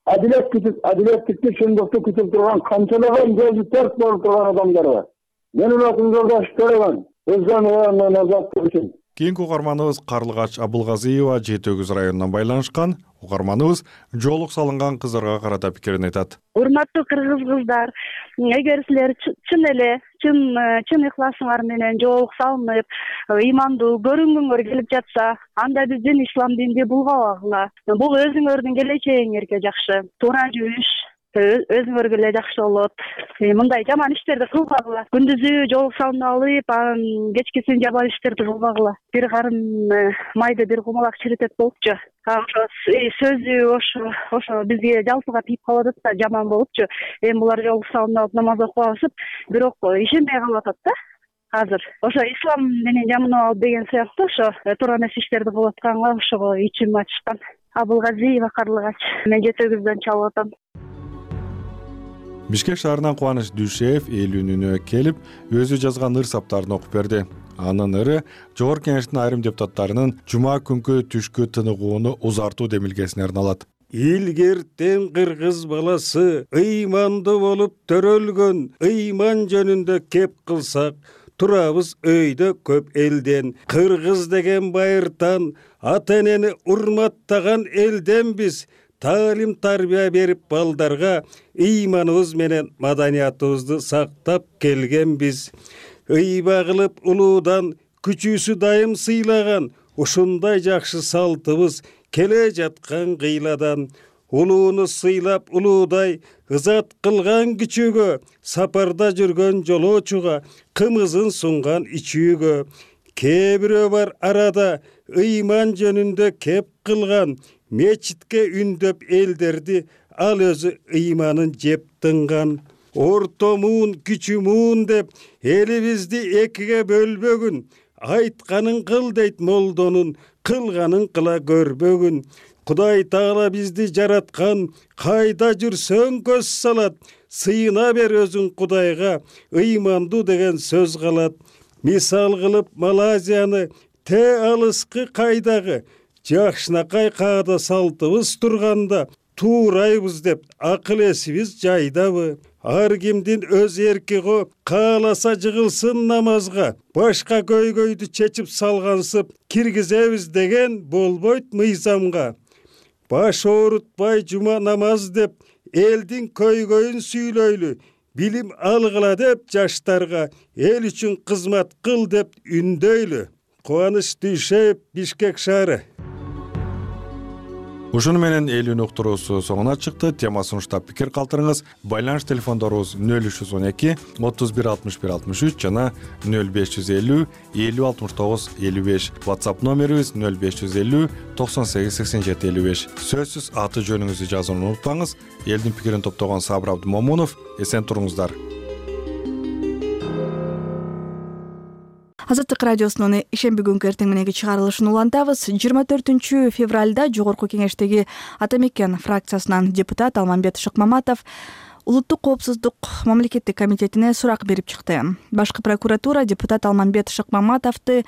адилеттикти, чындыкты күтүп турган канчалаган көзү терс болуп турган адамдар бар. Менин атым Жолдош Төлөгөн, Өзгөн районунан азаттык үчүн. Кийинки угарманыбыз Карлыгач Абылгазиева Жети Өгүз районунан байланышкан. Угарманыбыз жоолук салынган кыздарга карата пикирин айтат. Урматтуу кыргыз кыздар, эгер силер чын эле чын ыхласыңар менен жоолук салынып, ыймандуу көрүнгүңөр келип жатса, анда биздин ислам динди булгабагыла. Бул өзүңөрдүн келечегиңерге жакшы. Туура жүрүш өзүңөргө эле жакшы болот. Мындай жаман иштерди кылбагыла. Күндүзү жоолук салынып алып, анан кечкисин жаман иштерди кылбагыла. Бир карын майды бир кумалак чиритет болупчу. Ошо сөзү ошо бизге жалпыга тийип калып атат да, жаман болупчу. Эми булар жоолук салынып алып намаз окуп алышып, бирок ишенбей калып атат да. Азыр ошо ислам менен жаманап алып деген сыяктуу ошо туура эмес иштерди кылып атканга ошого ичим ачышкан. Абылгазиева Карлыгач. Мен Жети Өгүздөн чалып атам. Бишкек шаарынан Кубаныч Дүйшеев элүүнүнө келип, өзү жазган ыр саптарын окуп берди. Анын ыры Жогорку Кеңештин айрым депутаттарынын жума күнкү түшкү тыныгууну узартуу демилгесине арналат. Илгертен кыргыз баласы ыймандуу болуп төрөлгөн, ыйман жөнүндө кеп кылсак, турабыз өйдө көп элден. Кыргыз деген байыртан, ата энени урматтаган элденбиз. Таалим тарбия берип балдарга ыйманыбыз менен маданиятыбызды сактап келгенбиз. Ыйба кылып улуудан күчүүсү дайым сыйлаган, ушундай жакшы салтыбыз келе жаткан кыйладан. Улууну сыйлап улуудай ызат кылган күчүүгө, сапарда жүргөн жолоочуга кымызын сунган ичүүгө. Кээ бирөө бар арада ыйман жөнүндө кеп кылган, мечитке үндөп элдерди, ал өзү ыйманын жеп тынган. Ортомун, күчүмүн деп элибизди экиге бөлбөгүн, айтканын кыл дейт молдонун, кылганын кыла көрбөгүн. Кудай Таала бизди жараткан, кайда жүрсөң көз салат, сыйына бер өзүң Кудайга, ыймандуу деген сөз калат. Мисал кылып Малайзияны, те алыскы кайдагы, жакшынакай каада салтыбыз турганда, туурайбыз деп акыл эсибиз жайдабы? Ар кимдин өз эрки го, кааласа жыгылсын намазга, башка көйгөйдү чечип салгансып, киргизебиз деген болбойт мыйзамга. Баш оорутпай жума намаз деп, элдин көйгөйүн сүйлөйлү, билим алгыла деп жаштарга, эл үчүн кызмат кыл деп үндөйлү. Кубаныч Дүйшеев, Бишкек шаары. Ушуну менен элүүнүн уктуруусу соңуна чыкты. Тема сунуштап пикир калтырыңыз. Байланыш телефондорубуз 0312 31 61 63 жана 0550 50 69 55. WhatsApp номерибиз 0550 98 87 55. Сөзсүз аты жөнүңүздү жазууну унутпаңыз. Элдин пикирин топтогон Сабыр Абдымомунов. Эсен туруңуздар. Азаттык радиосунун ишемби күнкү эртең мененки чыгарылышын улантабыз. 24 февралда Жогорку Кеңештеги Ата Мекен фракциясынан депутат Алмамбет Шыкмаматов Улуттук коопсуздук мамлекеттик комитетине сурак берип чыкты. Башкы прокуратура депутат Алмамбет Шыкмаматовду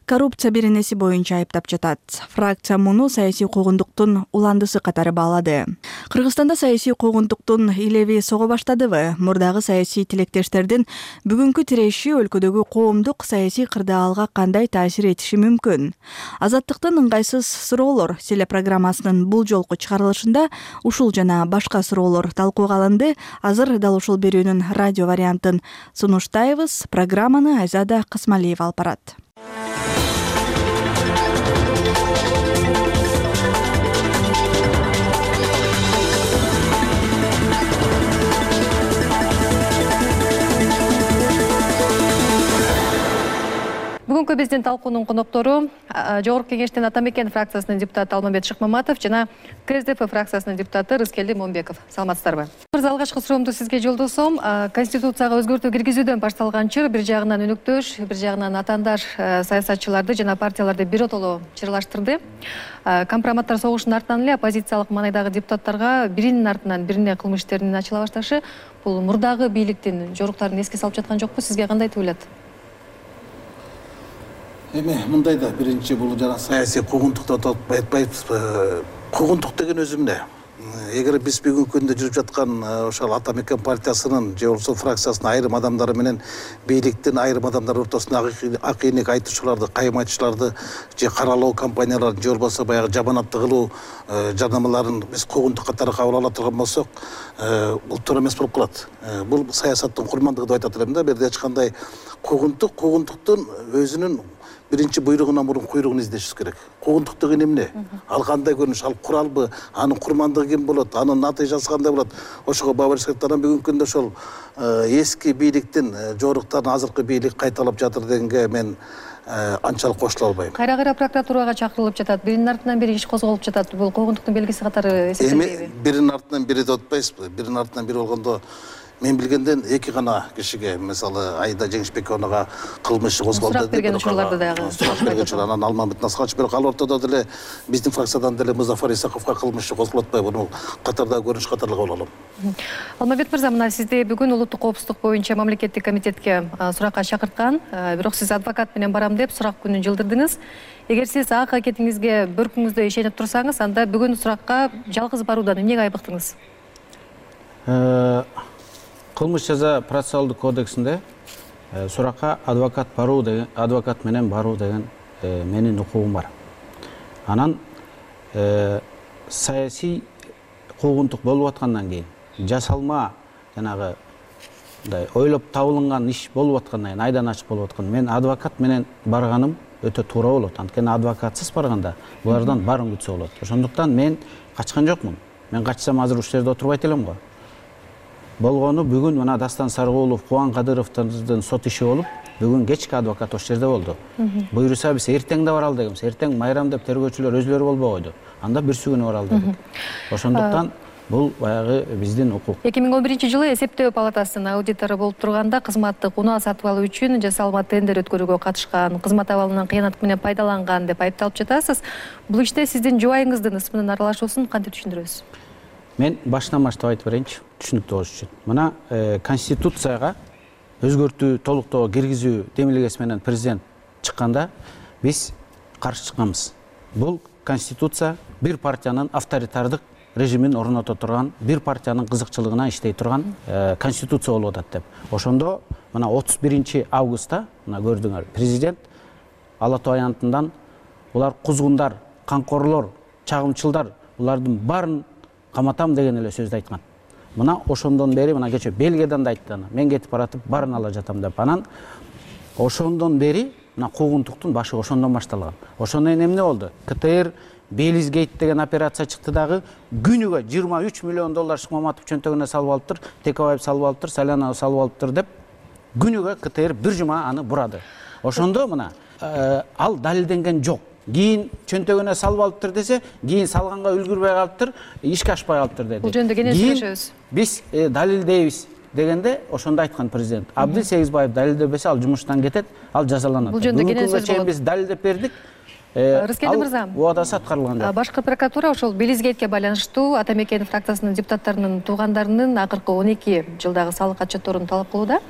коррупция беренеси боюнча айыптап жатат. Фракция муну саясий куугунтуктун уландысы катары баалады. Кыргызстанда саясий куугунтуктун илеви сого баштадыбы? Мурдагы саясий тилектештердин бүгүнкү тиреши өлкөдөгү коомдук саясий кырдаалга кандай таасир этиши мүмкүн? Азаттыктын ыңгайсыз суроолор телепрограммасынын бул жолку чыгарылышында ушул жана башка суроолор талкууга алынды. Азыр дал ушул берүүнүн радио вариантын сунуштайбыз. Программаны Айзада Касмалиева алып барат. Бүгүнкү биздин талкуунун коноктору Жогорку Кеңештин Ата Мекен фракциясынын депутаты Алмамбет Шыкмаматов жана КСДП фракциясынын депутаты Рыскелди Момбеков. Саламатсыздарбы? Алгачкы суроомду сизге жолдосом. Конституцияга өзгөртүү киргизүүдөн башталган чыр бир жагынан өнөктөш, бир жагынан атаандаш саясатчыларды жана партияларды биротоло чырлаштырды. Компроматтар согушунун артынан эле оппозициялык маанайдагы депутаттарга биринин артынан бирине кылмыш иштерин ачыла башташы бул мурдагы бийликтин жоруктарын эске салып жаткан жокпу? Сизге кандай туюлат? Эми мындайда биринчи бул жана саясий куугунтук деп айтпайбызбы. Куугунтук деген өзү эмне? эгер биз бүгүнкү күндө жүрүп жаткан ошол ата мекен партиясынын же болбосо фракциясынын айрым адамдары менен бийликтин айрым адамдары ортосунда акыйнек айтуучуларды, кайым айтуучуларды же каралоо компанияларын же болбосо баягы жаманатты кылуу жарнамаларын биз куугунтук катары кабыл ала турган болсок, бул туура эмес болуп калат. Бул саясаттын курмандыгы деп айтат элем да. Бул жерде эч кандай куугунтуктун өзүнүн биринчи буйругунан мурун куйругун издешибиз керек. Куугунтук деген эмне? Ал кандай көрүнүш, ал куралбы, анын курмандыгы ким болот, анын натыйжасы кандай болот? Ошого баа бериш керек. Анан бүгүнкү күндө ошол эски бийликтин жоруктарын азыркы бийлик кайталап жатыр дегенге мен анчалык кошуло албайм. Кайра прокуратурага чакырылып жатат, биринин артынан бири иш козголуп жатат. Бул куугунтуктун белгиси катары эсептелбейби? Биринин артынан бири деп атпайсызбы? Биринин артынан бири болгондо мен билгенден эки гана кишиге, мисалы Айда Жеңишбековага кылмыш козголду. Сурак берген учурларды дагы. Сурак берген учур, анан Алмамбет Насханович, бирок ал ортодо деле биздин фракциядан деле Музафар Исаковго кылмыш козголуп атпайбы? Буну катардагы көрүнүш катары кабыл алам. Алмамбет мырза, мына сизди бүгүн улуттук коопсуздук боюнча мамлекеттик комитетке суракка чакырткан, бирок сиз адвокат менен барам деп сурак күнүн жылдырдыңыз. Эгер сиз ак аракетиңизге бөркүңүздө ишенип турсаңыз, анда бүгүн суракка жалгыз баруудан эмнеге айбыктыңыз? Кылмыш жаза процессуалдык кодексинде суракка адвокат менен баруу деген менин укугум бар. Анан саясий куугунтук болуп аткандан кийин, жасалма жанагы ойлоп табылган иш болуп аткандан кийин, айдан ачык болуп аткан, мен адвокат менен барганым өтө туура болот. Анткени адвокатсыз барганда булардан баарын күтсө болот. Ошондуктан мен качкан жокмун. Мен качсам азыр ушул жерде отурбайт элем го. Болгону бүгүн мына Дастан Сарыгулов, Кубан Кадыровдун сот иши болуп, бүгүн кечки адвокат ошол жерде болду. Буйруса биз эртең да баралы дегенбиз. Эртең майрам деп тергөөчүлөр өзлөрү болбой койду. Анда бүрсү күнү баралы дедик. Ошондуктан бул баягы биздин укук. 2011-жылы эсептөө палатасынын аудитору болуп турганда кызматтык унаа сатып алуу үчүн жасалма тендер өткөрүүгө катышкан, кызмат абалынан кыянат менен пайдаланган деп айыпталып жатасыз. Бул иште сиздин жубайыңыздын ысмынын аралашуусун кантип түшүндүрөсүз? Мен башынан баштап айтып берейинчи, түшүнүктүү болуш үчүн. Мына Конституцияга өзгөртүү, толуктоо киргизүү демилгеси менен президент чыкканда биз каршы чыкканбыз. Бул Конституция бир партиянын авторитардык режимин орното турган, бир партиянын кызыкчылыгына иштей турган Конституция болуп атат деп. Ошондо мына 31 августта мына көрдүңөр, президент Ала Тоо аянтынан булар кузгундар, камкорлор, чагымчылдар, булардын баарын каматам деген эле сөздү айткан. Мына ошондон бери, мына кече Бельгиядан да айтты, мен кетип баратып баарын ала жатам деп. Анан ошондон бери мына куугунтуктун башы ошондон башталган. Ошондон эмне болду? КТР Белизгейт деген операция чыкты дагы, күнүгө 23 миллион доллар Шыкмаматов чөнтөгүнө салып алыптыр, Текебаев салып алыптыр, Салянов салып алыптыр деп күнүгө КТР бир жума аны бурады. Ошондо мына ал далилденген жок. Кийин чөнтөгүнө салып алыптыр десе, кийин салганга үлгүрбөй калыптыр, ишке ашпай калыптыр деди. Бул жөнүндө кенен сүйлөшөбүз. Биз далилдейбиз дегенде ошондо айткан президент. Абдил Сегизбаев далилдебесе ал жумуштан кетет, ал жазаланат. Бул жөнүндө кенен сөз болот. Биз далилдеп бердик. Рыскелди мырза, убадасы аткарылган жок. Башкы прокуратура ошол Белизгейтке байланыштуу Ата Мекен фракциясынын депутаттарынын туугандарынын акыркы 12 жылдагы салык отчетторун талап кылууда.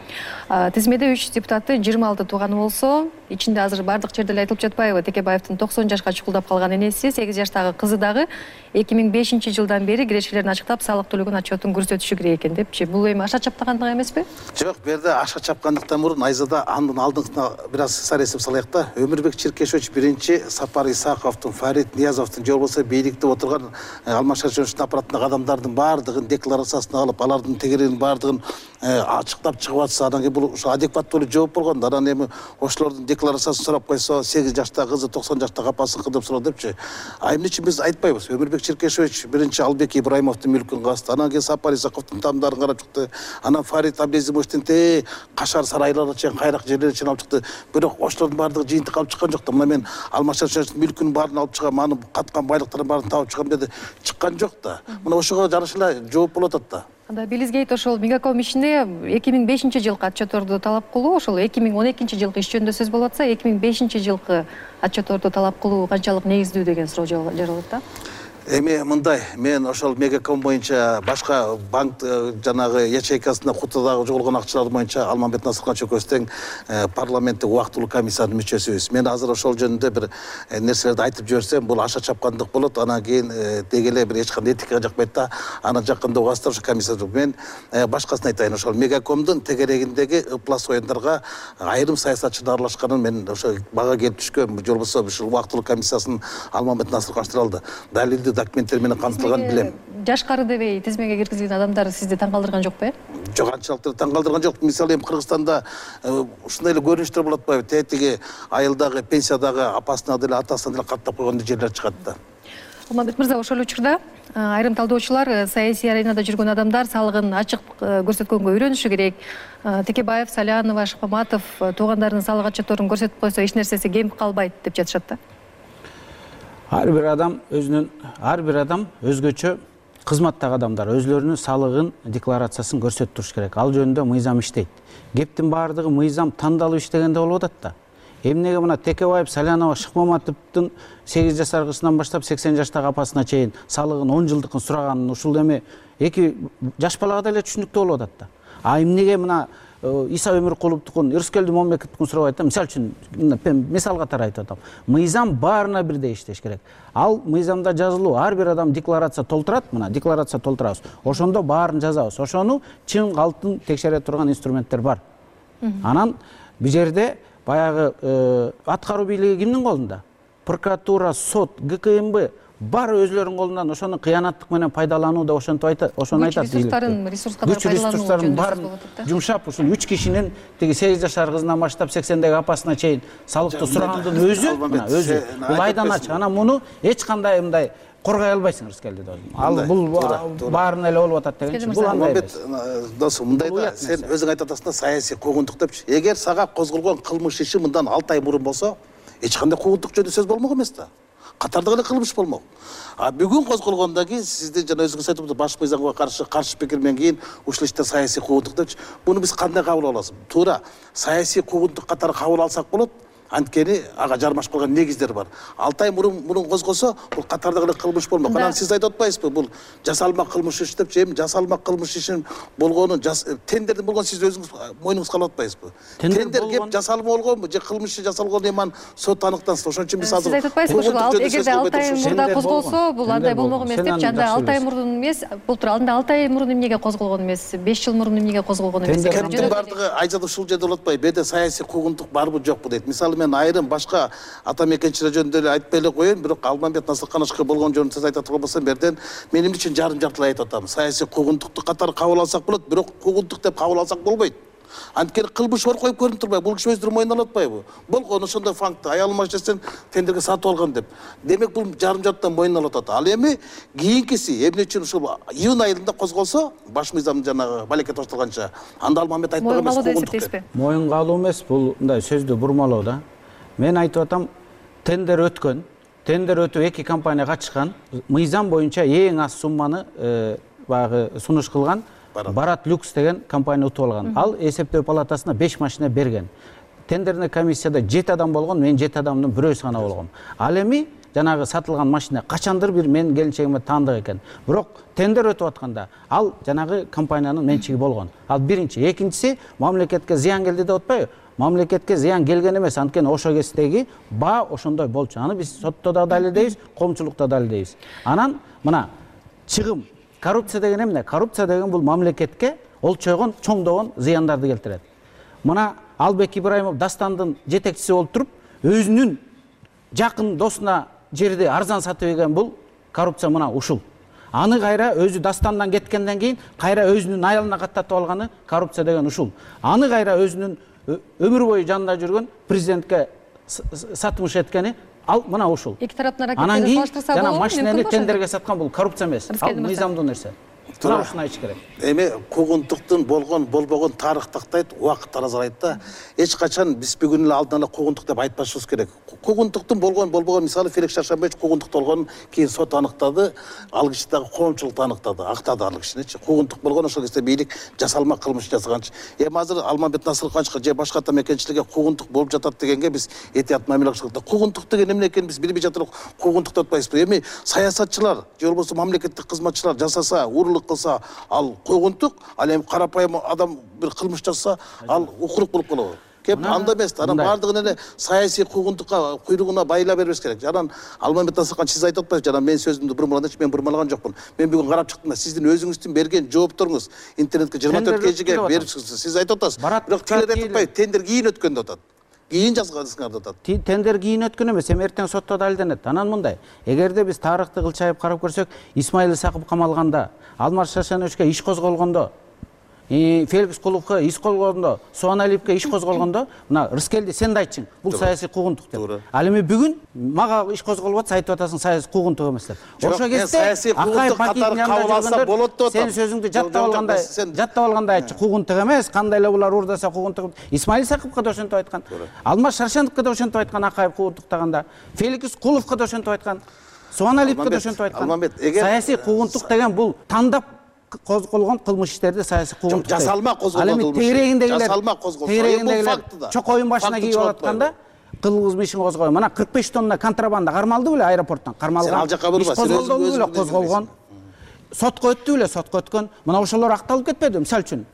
Тизмеде 3 депутаттын 26 тууганы болсо, ичинде азыр бардык жерде эле айтылып жатпайбы? Текебаевдин 90 жашка чукулдап калган энеси, 8 жаштагы кызы дагы 2005 жылдан бери кирешелерин ачыктап, салык төлөгөн отчетун көрсөтүшү керек экен депчи. Бул эми аша чапкандык эмеспи? Жок, бу жерде аша чапкандыктан мурун Айзада анын алдыңкына бир аз сар эсеп салайык да. Өмүрбек Черкешович биринчи, Сапар Исаковдун, Фарид Ниязовдун же болбосо бийликте отурган Алмаз Шариповичтин аппаратындагы адамдардын баардыгын декларациясына алып, алардын тегерегин баардыгын ачыктап чыгып атса, анан кийин бул ошо адекваттуу эле жооп болгон. Анан эми ошолордун декларациясын сурап койсо, 8 жаштагы кызы 90 жаштагы апасыныкы деп суроо депчи. Эмне үчүн биз айтпайбыз? Өмүрбек Черкешович биринчи Албек Ибраимовдун мүлкүн касты, анан кийин Сапар Исаковдун тамдарын карап чыкты, анан Фарид Абдезимовичтин Кашар сарайларына чейин, кайрак жерлерге чейин алып чыкты. Бирок ошолордун баардыгы жыйынтык алып чыккан жок да. Мына мен Алмаз Шариповичтин мүлкүнүн баарын алып чыгам, анын каткан байлыктарын баарын табып чыгам деди. Чыккан жок да. Мына ошого жараша эле жооп болуп атат да. Анда Белизгейт ошол Мегаком ишине 2005 жылкы отчетторду талап кылуу, ошол 2012 жылкы иш жөнүндө сөз болуп атса, 2005 жылкы отчетторду талап кылуу канчалык негиздүү деген суроо жаралат да. Эми мындай, мен ошол Мегаком боюнча башка банк жанагы ячейкасында кутудагы жоголгон акчалар боюнча Алмамбет Насыркан чөкөбүз тең парламенттик убактылуу комиссиянын мүчөсүбүз. Мен азыр ошол жөнүндө бир нерселерди айтып жиберсем, бул аша чапкандык болот. Анан кийин деги эле бир эч кандай этикага жакпайт да. Аны жакында угасыздар ошо комиссия. Мен башкасын айтайын. Ошол Мегакомдун тегерегиндеги ыплас оюндарга айрым саясатчылар аралашканын мен ошо бага келип түшкөн. Же болбосо ушул убактылуу комиссиясынын Алмамбет Насыркан алды. Далилдүү документтер менен камтылган билем. Жашкары дебей тизмеге киргизилген адамдар сизди таң калтырган жокпу? Жок, анчалык таң калтырган жок. Мисалы эми Кыргызстанда ушундай эле көрүнүштөр болот атпайбы? Тетиги айылдагы пенсиядагы апасына деле атасына деле каттап койгон жерлер чыгат да. Алмамбет мырза, ошол учурда айрым талдоочулар саясий аренада жүргөн адамдар салыгын ачык көрсөткөнгө үйрөнүшү керек. Текебаев, Салянова, Шапаматов туугандарынын салык отчетторун көрсөтүп койсо эч нерсеси кемип калбайт деп жатышат да. Ар бир адам өзгөчө кызматтагы адамдар өзлөрүнүн салыгын декларациясын көрсөтүп туруш керек. Ал жөнүндө мыйзам иштейт. Кептин баардыгы мыйзам тандалып иштегенде болуп атат да. Эмнеге мына Текебаев, Салянова, Шыкмаматовдун 8 жашар кызынан баштап 80 жаштагы апасына чейин салыгын 10 жылдыкын сураганын ушул эми эки жаш балага деле түшүнүктүү болуп атат да. А эмнеге мына Иса Өмүркуловдукун, Ырыскелди Момбековдукун сурабайт да. Мисалы үчүн мисал катары айтып атам. Мыйзам баарына бирдей иштеш керек. Ал мыйзамда жазылуу, ар бир адам декларация толтурат, мына декларация толтурабыз. Ошондо баарын жазабыз. Ошону чын калтын текшере турган инструменттер бар. Анан бул жерде баягы аткаруу бийлиги кимдин колунда? Прокуратура, сот, ГКМБ бар өзлөрүнүн колунан ошону кыянаттык менен пайдалануу деп ошентип айтат. Ошону айтат. Күч ресурстарын баарын жумшап, ушул 3 кишинин тиги 8 жашар кызынан баштап 80деги апасына чейин салыкты сурагандын өзү, бул айдан ачык. Анан муну эч кандай мындай коргой албайсың Ырыскелдиде. Ал бул баарына эле болуп атат дегенчи. Бул андай эмес. Досум, мындай да, сен өзүң айтып атасың да саясий куугунтук депчи. Эгер сага козголгон кылмыш иши мындан 6 ай мурун болсо, эч кандай куугунтук жөнүндө сөз болмок эмес да. Катардагы эле кылмыш болмок. А бүгүн козголгондон кийин сизди жана өзүңүз айтып атасыз, баш мыйзамга каршы пикирмен кийин ушул иште саясий куугунтук депчи. Буну биз кандай кабыл алабыз? Туура саясий куугунтук катары кабыл алсак болот. Анткени ага жармашып калган негиздер бар. 6 ай мурун козгосо, бул катардагы эле кылмыш болмок. Анан сиз айтып атпайсызбы? Бул жасалма кылмыш иш депчи. Эми жасалма кылмыш ишин болгонун тендердин болгон сиз өзүңүз мойнуңузга алып атпайсызбы? Тендер кеп жасалма болгонбу же кылмыш жасалгон эми сот аныктансın. Ошон үчүн биз азыр сиз айтып атпайсызбы? Эгерде 6 ай мурда козголсо, бул андай болмок эмес деп, жанда 6 ай мурун эмес, бул тууралуу 6 ай мурун эмнеге козголгон эмес, 5 жыл мурун эмнеге козголгон эмес. Кептин бардыгы айжада ушул жерде болуп атпайбы? Беде саясий куугунтук барбы жокпу дейт. Мисалы мен айрым башка ата мекенчилер жөнүндө эле айтпай эле коеюн, бирок Алмамбет Насыркан болгон жөнүндө сиз айтат болбосо берден мен эмне үчүн жарым-жартылай айтып атам. Саясий куугунтукту катары кабыл алсак болот, бирок куугунтук деп кабыл алсак болбойт. Анткени кылмыш бар коюп көрүнүп турбайбы? Бул киши өздөрү мойнуна алып атпайбы? Болгон ошондой факт, аялым машинасынан тендерге сатып алган деп. Демек бул жарым-жартыдан мойнуна алып атат. Ал эми кийинкиси эмне үчүн ушул июнь айында козголсо, баш мыйзам жанагы балекке тоштолганча, анда Алмамбет айтпаган эмес куугунтук деп. Моюнга алуу эмес, бул мындай сөздү бурмалоо да. Мен айтып атам, тендер өткөн, тендер өтүп 2 компания катышкан, мыйзам боюнча эң аз сумманы баягы сунуш кылган Барат Люкс деген компания утуп алган. Ал эсептөө палатасына 5 машина берген. Тендерный комиссияда 7 адам болгон, мен 7 адамдын бирөөсү гана болгом. Ал эми жанагы сатылган машина качандыр бир менин келинчегиме таандык экен. Бирок тендер өтүп атканда ал жанагы компаниянын менчиги болгон. Ал биринчи, экинчиси мамлекетке зыян келди деп атпайбы? Мамлекетке зыян келген эмес, анткени ошо кездеги баа ошондой болчу. Аны биз сотто да далилдейбиз, коомчулукта далилдейбиз. Анан мына чыгым, коррупция деген эмне? Коррупция деген бул мамлекетке олчойгон, чоңдогон зыяндарды келтирет. Мына Албек Ибраимов Дастандын жетекчиси болуп туруп, өзүнүн жакын досуна жерди арзан сатып ийген бул коррупция мына ушул. Аны кайра өзү Дастандан кеткенден кийин кайра өзүнүн аялына каттатып алганы коррупция деген ушул. Аны кайра өзүнүн өмүр бою жанында жүргөн президентке сатмыш эткени ал мына ушул. Эки тараптын аракеттерин салыштырса болобу? Анан машинени тендерге саткан бул коррупция эмес. Ал мыйзамдуу нерсе. Тура ушуну айтыш керек. Эми куугунтуктун болбогон тарых тактайт, убакыт тазалайт да. Эч качан биз бүгүн эле алдын ала куугунтук деп айтпашыбыз керек. Куугунтуктун болбогон мисалы Феликс Шаршамбаевич куугунтук болгонун кийин сот аныктады, ал киши дагы коомчулук аныктады, актады ал кишиничи. Куугунтук болгон ошол кезде бийлик жасалма кылмыш жасаганчы. Эми азыр Алмамбет Насырхановичке же башка тамекенчилерге куугунтук болуп жатат дегенге биз этият мамиле кылыш керек. Куугунтук деген эмне экенин биз билбей жатырбыз. Куугунтук деп атпайбызбы? Эми саясатчылар же болбосо мамлекеттик кызматчылар жасаса, уурулук кылса, ал куугунтук, ал эми карапайым адам бир кылмыш жасаса, ал укурук болуп калат. Кеп анда эмес, анан бардыгын эле саясий куугунтукка куйругуна байла бербеш керек. Жанан Алмамбет Насырханович сиз айтып атпайсызбы? Жанан мен сөзүмдү бурмалаганчы, мен бурмалаган жокмун. Мен бүгүн карап чыктым да, сиздин өзүңүздүн берген жоопторуңуз интернетке 24 кежиге берипсиз. Сиз айтып атасыз. Бирок тилер айтып атпайбы? Тендер кийин өткөн деп атат. Кийин жазгансыңар деп атат. Тендер кийин өткөн эмес, эми эртең сотто далилденет. Анан мындай, эгерде биз тарыхты кылчайып карап көрсөк, Исмаил Исаков камалганда, Алмаз Шаршеновичке иш козголгондо, Феликс Куловго иш козголгондо, Суан Алиевке иш козголгондо, мына Рыскелди сен да айтчың, бул саясий куугунтук деп. Ал эми бүгүн мага иш козголуп атса айтып атасың саясий куугунтук эмес деп. Ошо кезде саясий куугунтук катары кабыл алса болот деп атам. Сен сөзүңдү жаттап алгандай айтчы, куугунтук эмес, кандай эле булар уурдаса куугунтук. Исмаил Исаковго да ошентип айткан. Алмаз Шаршеновго да ошентип айткан, Акаев куугунтуктаганда. Феликс Куловго да ошентип айткан. Суан Алиевге да ошентип айткан. Саясий куугунтук деген бул тандап козголгон кылмыш иштерди саясий куугунтук. Жасалма козголгон кылмыш. Жасалма козголгон. Чокоюн башына кийип алатканда кылгыз ишин козгойгон. Мына 45 тонна контрабанда кармалды беле аэропорттон? Кармалган. Ал жака бурба, сен өзүң козголгон. Сотко өттү беле, сотко өткөн. Мына ошолор акталып кетпеди, мисалы үчүн.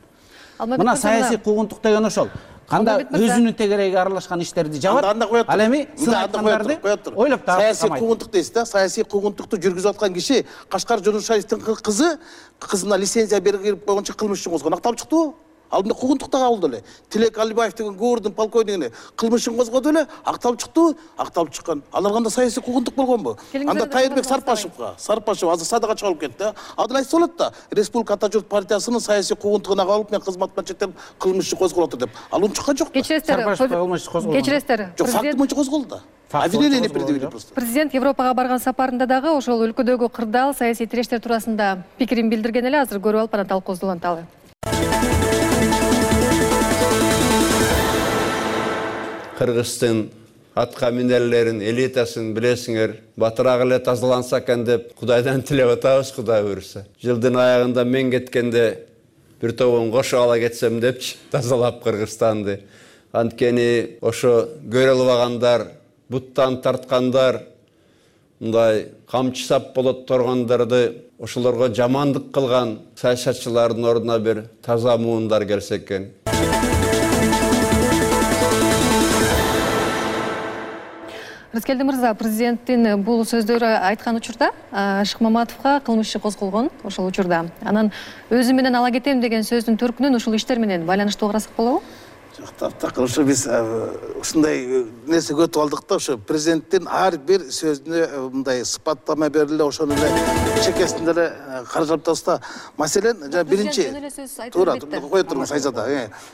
Мына саясий куугунтук деген ошол. Кандай өзүнүн тегерегиге аралашкан иштерди жабат. Ал эми сынайткандарды ойлоп таап. Саясий куугунтук дейсиз да, саясий куугунтукту жүргүзүп аткан киши Кашкар журналисттин кызына лицензия берип койгончу кылмыш ишин козгон. Акталып чыктыбы? Ал эмне куугунтукта кабылды эле. Тилек Алибаев деген Гуурдун полковнигине кылмышын козгоду эле, акталып чыктыбы? Акталып чыккан. Алар кандай саясий куугунтук болгонбу? Анда Тайырбек Сарпашев азыр садага чыгып кетти. Адыл айтса болот да. Республика Ата журт партиясынын саясий куугунтугуна кабылып, мен кызматтан чектелип кылмыш козголот деп. Ал унчуккан жок. Кечиресиздер. Жок, факт боюнча козголду да. Обвинение предъявили просто. Президент Европага барган сапарында дагы ошол өлкөдөгү кырдаал саясий тирештер туурасында пикирин билдирген эле. Азыр көрүп алып анан талкуусуланталы. Кыргыздын атка минерлерин, элитасын билесиңер, батыраак эле тазаланса экен деп Кудайдан тилеп атабыз, Кудай буйруса. Жылдын аягында мен кеткенде бир тобун кошуп ала кетсем депчи тазалап Кыргызстанды. Анткени ошо көрө албагандар, буттан тарткандар, мындай камчы сап болот тургандарды, ошолорго жамандык кылган саясатчылардын ордуна бир таза муундар келсе экен. Рыскелди мырза, президенттин бул сөздөрү айткан учурда Шыкмаматовго кылмыш иши козголгон ошол учурда. Анан өзү менен ала кетем деген сөздүн төркүнүн ушул иштер менен байланыштуу карасак болобу? Жок, так, ошо биз ушундай нерсе көтүп алдык да, ошо президенттин ар бир сөзүнө мындай сыпаттама бериле, ошону эле чекесинде эле каржап атабыз да. Маселен, жана биринчи туура кое туруңуз Айзада.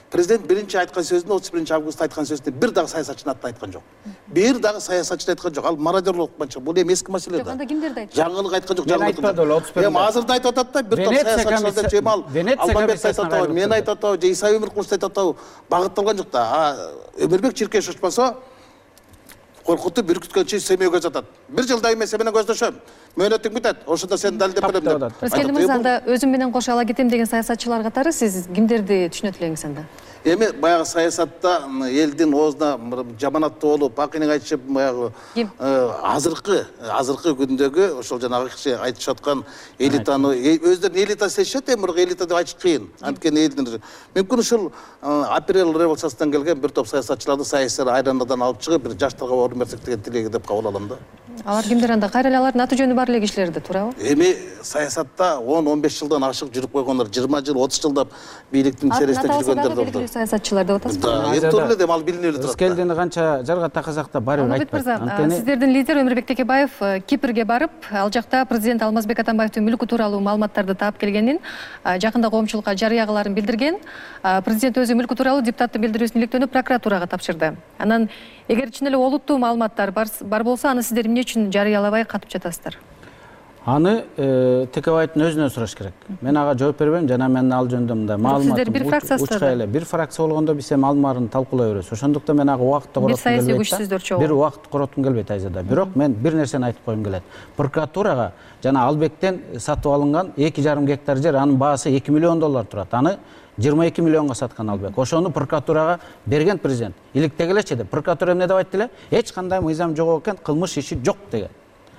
Президент биринчи айткан сөзүндө 31 августта айткан сөзүндө бир дагы саясатчынын атын айткан жок. Бир дагы саясатчыны айткан жок. Ал мародерлук болчу. Бул эми эски маселе да. Анда кимдерди айтты? Жаңылык айткан жок, эми азырда айтып атат да, бир топ саясатчыларды Жемал Алмамбет айтып атабы, мен айтып атабы, же Иса Өмүркулов айтып атабы, багытталган жок да. Өмүрбек Чиркешев болсо коркутуп бүркүткөнчө семейге жатат. Бир жылдай мен сен менен көздөшөм. Мөөнөтүң бүтөт. Ошондо сен далилдеп берем деп. Рыскелди мырза, анда өзүм менен кошо ала кетем деген саясатчылар катары сиз кимдерди түшүнөт элеңиз анда? Эми баягы саясатта элдин оозуна жаманаттуу болуп, акынын айтышып, баягы азыркы күндөгү ошол жанагы киши айтышып аткан элитаны өздөрүн элита сезишет, эми бирок элита деп айтыш кыйын. Анткени элдин мүмкүн ушул апрель революциясынан келген бир топ саясатчыларды саясий айрандадан алып чыгып, бир жаштарга орун берсек деген тилеги деп кабыл алам да. Алар кимдер анда? Кайра эле алардын аты жөнү бар эле кишилерди, туурабы? Эми саясатта 10-15 жылдан ашык жүрүп койгондор, 20 жыл, 30 жылдап бийликтин сересинде жүргөндөр да бар. Саясатчылар деп атасызбы? Да, тууру эле дем ал билинип эле турат. Рыскелдини канча жарга такасак да баары бир айтпайт. Сиздердин лидер Өмүрбек Текебаев Кипрге барып, ал жакта президент Алмазбек Атамбаевдин мүлкү тууралуу маалыматтарды таап келгенин, жакында коомчулукка жарыя кыларын билдирген. Президент өзү мүлкү тууралуу депутаттын билдирүүсүн иликтөөнү прокуратурага тапшырды. Анан эгер чын эле олуттуу маалыматтар бар болсо, аны сиздер эмне үчүн жарыялабай катып жатасыздар? Аны Текебаевдин өзүнөн сураш керек. Мен ага жооп бербейм, жана мен ал жөнүндө мындай маалыматым учка эле. Бир фракция болгондо биз эми алын баарын талкуулай беребиз. Ошондуктан мен ага убакытты короткум келбейт. Бир саясий күчсүздөр чогуу. Бир убакыт короткум келбейт Айзада. Бирок мен бир нерсени айтып койгум келет. Прокуратурага жана Албектен сатып алынган 2,5 гектар жер, анын баасы $2 миллион турат. Аны 22 миллионго саткан Албек. Ошону прокуратурага берген президент. Иликтеге элечи деп. Прокуратура эмне деп айтты эле? Эч кандай мыйзам жок экен, кылмыш иши жок деген.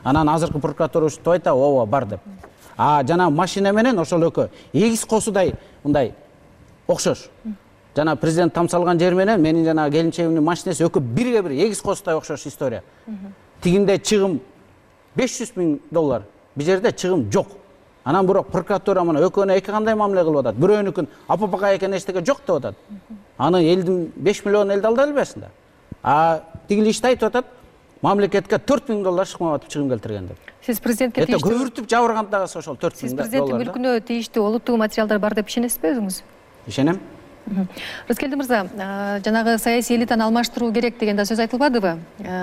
Анан азыркы прокуратура ушинтип айтат, ооба бар деп. Жана машина менен ошол экөө эгиз косудай мындай окшош. Жана президент тамсалган жер менен менин жана келинчегимдин машинеси экөө бирге бир эгиз косудай окшош история. Тигинде чыгым $500 000, бул жерде чыгым жок. Анан бирок прокуратура мына экөөнө эки кандай мамиле кылып атат. Бирөөнүкүн апапага экен эчтеке жок деп атат. Аны элдин 5 миллион элди алды элбесинде. Тигил ишти айтып атат. Мамлекетке $4 000 Шыкмаматов чыгым келтирген деп. Сиз президентке тийиштүү көбүртүп жабырган дагы ошол $4 000. Сиз президенттин мүлкүнө тийиштүү олуттуу материалдар бар деп ишенесизби өзүңүз? Ишенем. Рыскелди мырза, жанагы саясий элитаны алмаштыруу керек деген да сөз айтылбадыбы?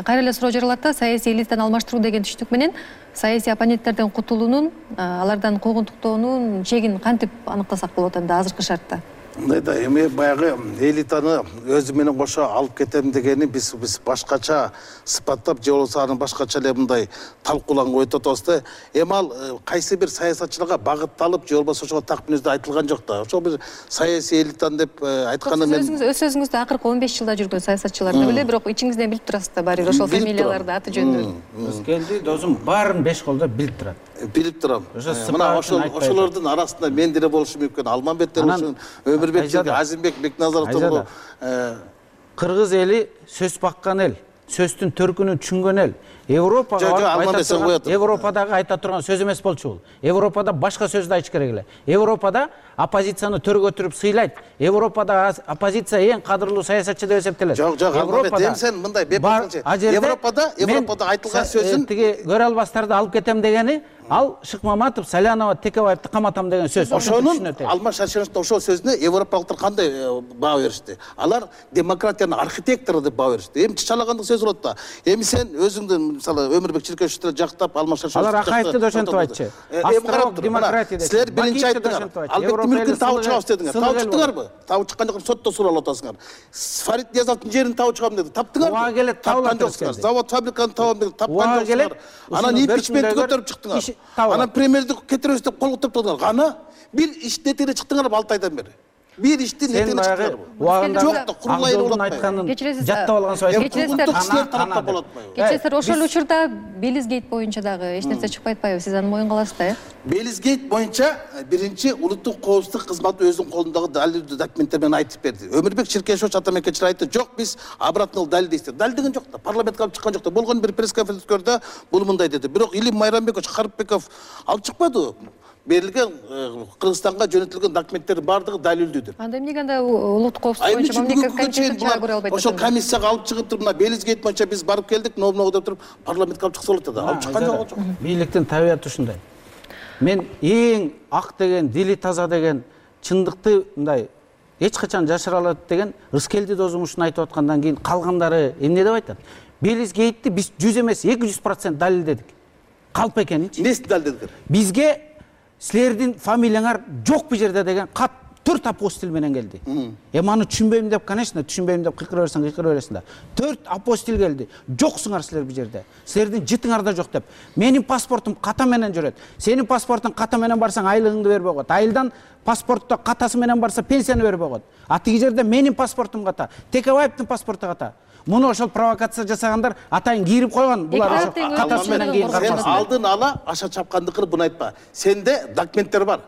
Кайра эле суроо жаралат да, саясий элитаны алмаштыруу деген түшүнүк менен саясий оппоненттерден кутулуунун, алардан куугунтуктоонун чегин кантип аныктасак болот анда азыркы шартта? Мындайда эми баягы элитаны өзү менен кошо алып кетем дегени биз башкача сыпаттап же болбосо аны башкача эле мындай талкууланга өтүп атабыз да. Эми ал кайсы бир саясатчыларга багытталып же болбосо ошого так мүнөздө айтылган жок да. Ошол бир саясий элитаны деп айтканда мен өз сөзүңүздө акыркы 15 жылда жүргөн саясатчыларды беле, бирок ичиңизден билип турасыз да баары бир ошол фамилияларды аты жөнүн. Рыскелди досум баарын 5 колдо билип турат. Билип турам. Мына ошолордун арасында мен деле болушум мүмкүн, Алмамбет деле болушум, Өмүрбек Жерге, Азимбек Бекназаровдун кыргыз эли сөз баккан эл, сөздүн төркүнүн түшүнгөн эл. Европадагы айта турган сөз эмес болчу бул. Европада башка сөздү айтыш керек эле. Европада оппозицияны төргө өтүрүп сыйлайт. Европада оппозиция эң кадырлуу саясатчы деп эсептелет. Жок, Европада сен мындай бепасылчы. Европада айтылган сөзүн тиги көрө албастарды алып кетем дегени, ал Шыкмаматов, Салянова, Текебаевди каматам деген сөз. Ошонун Алмаз Шаршеновдун ошол сөзүнө европалыктар кандай баа беришти? Алар демократиянын архитектору деп баа беришти. Эми чачалагандык сөз болот да. Эми сен өзүңдүн мисалы Өмүрбек Чиркешевди жактап, Алмаз Шаршенов алар Акаевди да ошентип айтчы. Демократия деп. Силер биринчи айттыңар. Албектин мүлкүн табып чыгабыз дедиңер. Табып чыктыңарбы? Табып чыккан жок, сотто суралып атасыңар. Фарид Ниязовдун жерин табып чыгам деди. Таптыңарбы? Ага келет, табылат жоксуңар. Завод, фабриканы табам деди. Тапкан жоксуңар. Анан импичментти көтөрүп чыктыңар. Анан премьерди кетиребиз деп кол көтөрүп турдуңар. Кана бир иш нетине чыктыңарбы 6 айдан бери? Bir işti neden çıkarım? Çok da kurulay olmayın. Jatta olgan soy. Geçesler ошол учурда Белизгейт боюнча дагы эч нерсе чыкпай атпайбы? Сиз аны моюнга аласыз да, э? Белизгейт боюнча биринчи улуттук коопсуздук кызматы өзүнүн колундагы далилдүү документтер менен айтып берди. Өмүрбек Чиркешевич атамекенчилер айтты, жок биз обратный далил дейсиз. Далилдеген жок да, парламентке алып чыккан жок да. Болгон бир пресс-конференцияда бул мындай деди. Бирок Илим Майрамбекович Карыпбеков алып чыкпады. Берилген Кыргызстанга жөнөтүлгөн документтердин баардыгы далилдүүдүр. Анда эмнеге анда улуттук коопсуздук боюнча мамлекеттик комиссия чыгарып көрө албайт? Ошол комиссияга алып чыгып туруп, мына Белизгейт боюнча биз барып келдик, новного деп туруп, парламентке алып чыкса болот да. Алып чыккан жок. Бийликтин табияты ушундай. Мен эң ак деген, дили таза деген, чындыкты мындай эч качан жашыра алат деген Рыскелди досум ушуну айтып аткандан кийин калгандары эмне деп айтат? Белизгейтти биз 100 эмес 200% далилдедик. Калп экенинчи. Эмнесин далилдедиңер? Бизге силердин фамилияңар жок бул жерде деген кат 4 апостил менен келди. Эми аны түшүнбөйм деп, конечно, түшүнбөйм деп кыйкыра бересиң да. 4 апостил келди. Жоксуңар силер бул жерде. Силердин жытыңар да жок деп. Менин паспортум ката менен жүрөт. Сенин паспортуң ката менен барсаң айлыгыңды бербей коет. Айылдан паспортто катасы менен барса пенсияны бербей коет. А тиги жерде менин паспортум ката, Текебаевдин паспорту ката. Муну ошол провокация жасагандар атайын кийирип койгон. Булар ошо катасы менен кийин сен алдын ала аша чапкандыкын буну айтпа. Сенде документтер бар.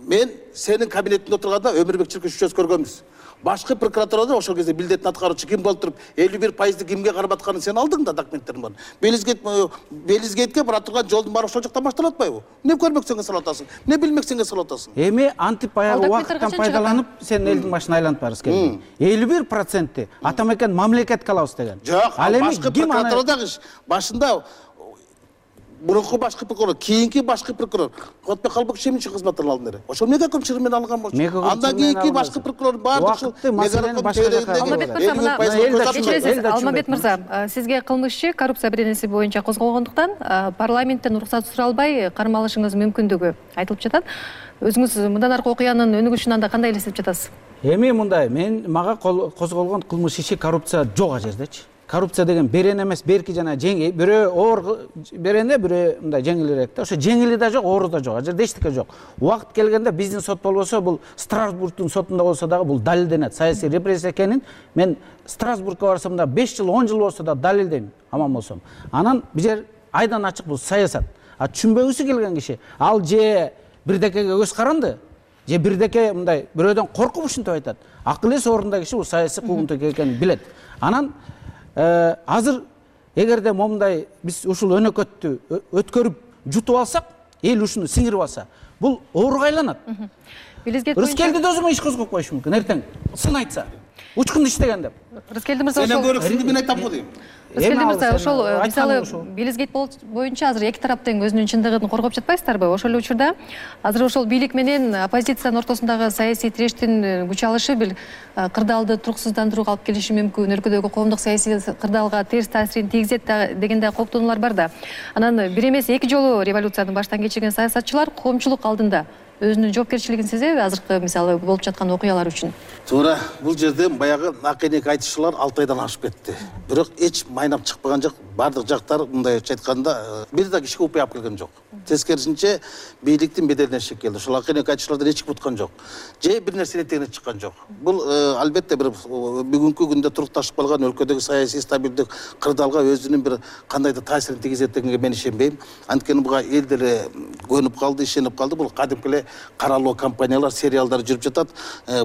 Мен сенин кабинетиңде отурганда Өмүрбек Чиркешевич көргөнбүз. Башкы прокуратурада ошол кезде билдетин аткаруучу ким болуп туруп 51% кимге карап атканын сен алдың да документтерин бар. Белизгейтке бара турган жолдун баары ошол жактан башталып атпайбы? Эмне көрмөксөңө салып атасың? Эмне билмексеңе салып атасың? Эми антип баягы убакыттан пайдаланып сен элдин башына айланып барасыз келди. 51% атамекен мамлекетке алабыз деген. Жок, ал башкы прокуратурадагы башында мурунку башкы прокурор, кийинки башкы прокурор Кубатбек Калбеков эмне үчүн кызматтан алды эле? Ошол мегаком чыры менен алынган болчу. Андан кийинки башкы прокурор баардык ушул Алмамбет мырза, сизге кылмыш иши коррупция беренеси боюнча козголгондуктан парламенттен уруксат суралбай кармалышыңыз мүмкүндүгү айтылып жатат. Өзүңүз мындан аркы окуянын өнүгүшүн анда кандай элестетип жатасыз? Эми мындай, мага козголгон кылмыш иши коррупция жок жердечи. Коррупция деген берен эмес, берки жана жеңил. Бирөө оор берене, бирөө мындай жеңилирээк да. Ошо жеңили да жок, оору да жок. Ал жерде эчтеке жок. Убакыт келгенде биздин сот болбосо, бул Страсбургдун сотунда болсо дагы бул далилденет. Саясий репрессия экенин мен Страсбургка барсам да 5 жыл, 10 жыл болсо да далилдейм, аман болсом. Анан бир айдан ачык бул саясат. А түшүнбөгүсү келген киши, ал же бирдекеге көз каранды, же бирдеке мындай бирөөдөн коркуп ушинтип айтат. Акыл эс орунда киши бул саясий куугунтук экенин билет. Анан азыр эгерде момундай биз ушул өнөкөттү өткөрүп жутуп алсак, эл ушуну сиңирип алса, бул ооруга айланат. Рыскелди да өзүмө иш козгоп коюшу мүмкүн, эртең сын айтса, учкун иштеген деп. Рыскелди мырза, ошол көрөксүндү мен айтам го дейм. Рыскелди мырза, ошол мисалы Билизгейт боюнча азыр эки тарап тең өзүнүн чындыгын коргоп жатпайсыздарбы? Ошол эле учурда азыр ошол бийлик менен оппозициянын ортосундагы саясий тирештин күч алышы бир кырдаалды туруксуздандырууга алып келиши мүмкүн, өлкөдөгү коомдук саясий кырдаалга терс таасирин тийгизет деген да кооптонуулар бар да. Анан бир эмес эки жолу революцияны баштан кечирген саясатчылар коомчулук алдында өзүнүн жоопкерчилигин сезеби азыркы мисалы болуп жаткан окуялар үчүн? Туура, бул жерде баягы накенек айтышуулар 6 айдан ашып кетти. Бирок эч майнап чыкпаган жок. Бардык жактар мындайча айтканда бир да кишиге упай алып келген жок. Тескерисинче бийликтин беделине чек келди. Ошол накенек айтышуулардан эч ким уткан жок. Же бир нерсе этегине чыккан жок. Бул албетте бир бүгүнкү күндө турукташып калган өлкөдөгү саясий стабилдик кырдаалга өзүнүн бир кандайдыр таасирин тийгизет дегенге мен ишенбейм. Анткени буга эл деле көнүп калды, ишенип калды. Бул кадимки эле каралуу компаниялар, сериалдар жүрүп жатат.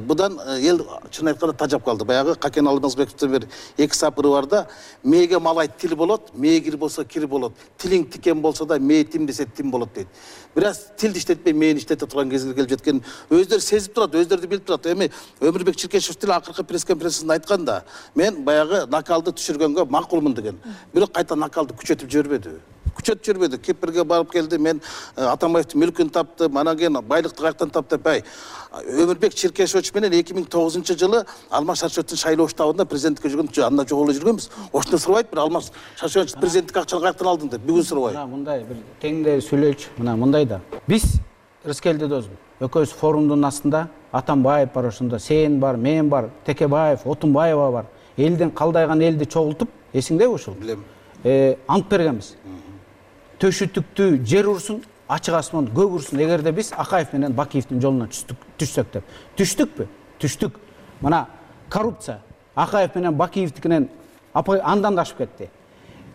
Будан эл чын айтканда тажап калды. Баягы Какен Алмазбековдун бир эки сапыры бар да, мээге малай тил болот, мээ кир болсо кир болот. Тилиң тикен болсо да мээ тим десе тим болот дейт. Бираз тилди иштетпей мээни иштете турган кезге келип жеткен өздөрү сезип турат, өздөрү билип турат. Эми Өмүрбек Чиркешев деле акыркы пресс-конференциясында айтканда, мен баягы накалды түшүргөнгө макулмун деген. Бирок кайта накалды күчөтүп жибербеди. Күчөтүп жүрбөдү. Кипрге барып келди, мен Атамбаевдин мүлкүн таптым, анан кийин байлыкты каяктан таптым деп. Өмүрбек Чиркешевич менен 2009-жылы Алмаз Шаршеновдун шайлоо штабында президенттикке жүргөн, анда жок эле жүргөнбүз. Ошондо сурабайт бир Алмаз Шаршенович президенттик акчаны каяктан алдың деп, бүгүн сурабайт. Мындай бир теңдей сүйлөйчү. Мындай да. Биз Рыскелди досум, экөөбүз форумдун астында Атамбаев бар ошондо, сен бар, мен бар, Текебаев, Отунбаева бар. Элдин калдайган элди чогултуп, эсиңдеби ушул? Билем. Ант бергенбиз. Төшүтүктү жер урсун, ачык асман көк урсун, эгерде биз Акаев менен Бакиевдин жолуна түшсөк деп. Түштүкпү? Түштүк. Мына коррупция Акаев менен Бакиевдикинен андан да ашып кетти.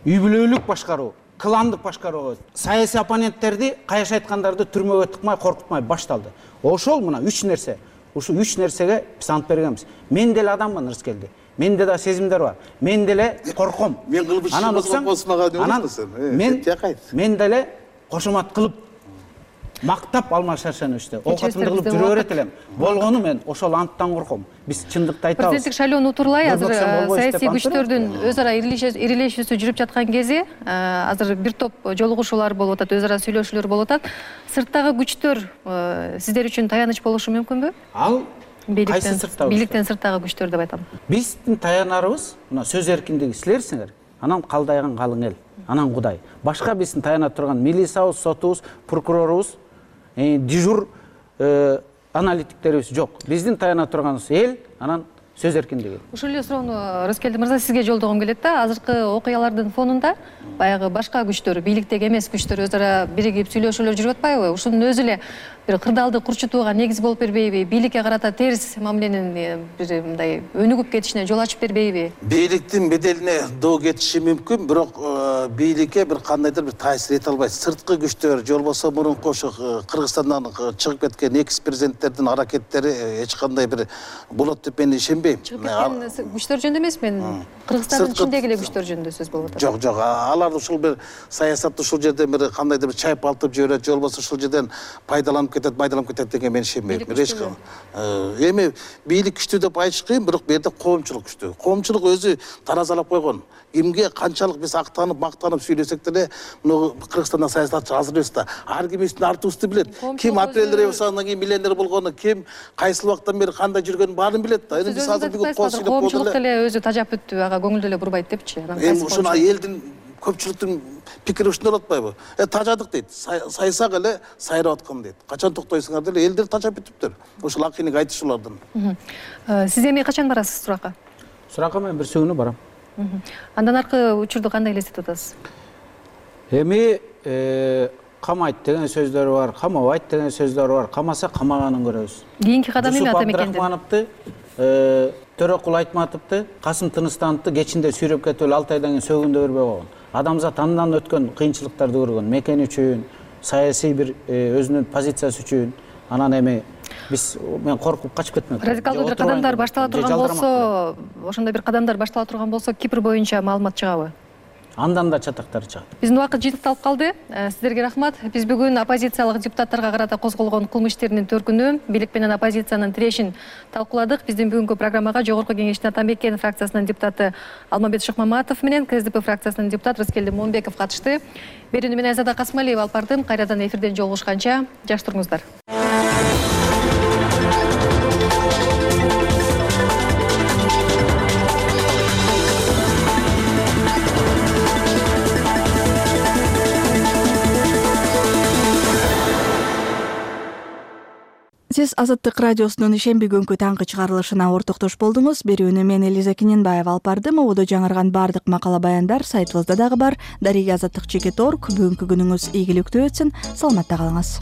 Үй бүлөлүк башкаруу, кландык башкаруу, саясий оппоненттерди, каяш айткандарды түрмөгө тыкмай, коркутмай башталды. Ошол мына 3 нерсе. Ушул 3 нерсеге биз ант бергенбиз. Мен деле адаммын, Рыскелди. Менде да сезимдер бар. Мен деле корком. Мен кылып мен деле кошомат кылып мактап Алмаз Шаршеновичти оокатымды кылып жүрө берет элем. Болгону мен ошол анттан корком. Биз чындыкты айтабыз. Президенттик шайлоону утурлай азыр саясий күчтөрдүн өз ара ирилешүүсү жүрүп жаткан кези, азыр бир топ жолугушуулар болуп атат, өз ара сүйлөшүүлөр болуп атат. Сырттагы күчтөр сиздер үчүн таяныч болушу мүмкүнбү? Ал бийликтен сырттагы күчтөр деп айтам. Биздин таянарыбыз мына сөз эркиндиги, силерсиңер. Анан калдайган калың эл, анан Кудай. Башка биздин таяна турган милициябыз, сотубуз, прокурорубуз, дежур аналитиктерибиз жок. Биздин таяна турганыбыз эл, анан сөз эркиндиги. Ушул эле суроону Рыскелди мырза сизге жолдогум келет да. Азыркы окуялардын фонунда баягы башка күчтөр, бийликтеги эмес күчтөр өз ара биригип сүйлөшүүлөр жүрүп атпайбы? Ушунун өзү эле бир кырдаалды курчутууга негиз болуп бербейби? Бийликке карата терс мамиленин бир мындай өнүгүп кетишине жол ачып бербейби? Бийликтин беделине доо кетиши мүмкүн, бирок бийликке бир кандайдыр бир таасир эте албайт. Сырткы күчтөр, же болбосо мурунку ошо Кыргызстандан чыгып кеткен экс-президенттердин аракеттери эч кандай бир болот деп мен ишенбейм. Чыгып кеткен күчтөр жөнүндө эмес, мен Кыргызстандын ичиндеги эле күчтөр жөнүндө сөз болуп атат. Жок, алар ушул бир саясатты ушул жерден бир кандайдыр бир чайып алтып жиберет, же болбосо ушул жерден пайдаланып кетет, майдаланып кетет деген мен ишенбейм. Эми бийлик күчтүү деп айтыш кыйын, бирок бул жерде коомчулук күчтүү. Коомчулук өзү таразалап койгон. Кимге канчалык биз актанып, мактанып сүйлөсөк деле, муну Кыргызстанда саясатчы азыр эмес да. Ар ким биздин артыбызды билет. Ким апрель революциясынан кийин миллионер болгону, ким кайсыл убактан бери кандай жүргөнүн баарын билет да. Эми биз азыр бүгүн коомчулук деле өзү тажап бүттү, ага көңүл деле бурбайт депчи. Эми ушуну элдин көпчүлүктүн пикири ушундай болуп атпайбы? Тажадык дейт. Сайсак эле сайрап аткан дейт. Качан токтойсуңар деле элдер тажап бүтүптүр. Ушул акыйныг айтышуулардан. Сиз эми качан барасыз суракка? Суракка мен бир күнү барам. Андан аркы учурду кандай элестетип атасыз? Эми камайт деген сөздөр бар, камабайт деген сөздөр бар. Камаса камаганын көрөбүз. Кийинки кадам эмне ата мекенде? Абдрахмановду, Төрөкул Айтматовду, Касым Тыныстановду кечинде сүйрөп кетип эле 6 айдан кийин сөгүндө бербей койгон. Адамзат андан өткөн кыйынчылыктарды көргөн, мекен үчүн, саясий бир өзүнүн позициясы үчүн. Анан эми мен коркуп качып кетмек. Радикалдуу бир кадамдар баштала турган болсо, ошондой бир кадамдар баштала турган болсо, Кипр боюнча маалымат чыгабы? Андан да чатактар чыгат. Биздин убакыт жетикталып калды. Сиздерге рахмат. Биз бүгүн оппозициялык депутаттарга карата козголгон кылмыш иштеринин төркүнү, бийлик менен оппозициянын тирешин талкууладык. Биздин бүгүнкү программага Жогорку Кеңештин Ата мекен фракциясынын депутаты Алмамбет Шыкмаматов менен КСДП фракциясынын депутаты Рыскелди Момунбеков катышты. Берүүнү мен Айзада Касымалиева алып бардым. Кайрадан эфирден жолугушканча жакшы туруңуздар. Сиз Азаттык радиосунун ишемби күnkү таңкы чыгарылышына ортоктош болдуңуз. Берүүнү мен Элиза Киненбаева алып бардым. Ободо жаңырган бардык макала баяндар сайтыбызда дагы бар. Дарига Азаттык.org. Бүгүнкү күнүңүз ийгиликтүү өтсүн. Саламатта калыңыз.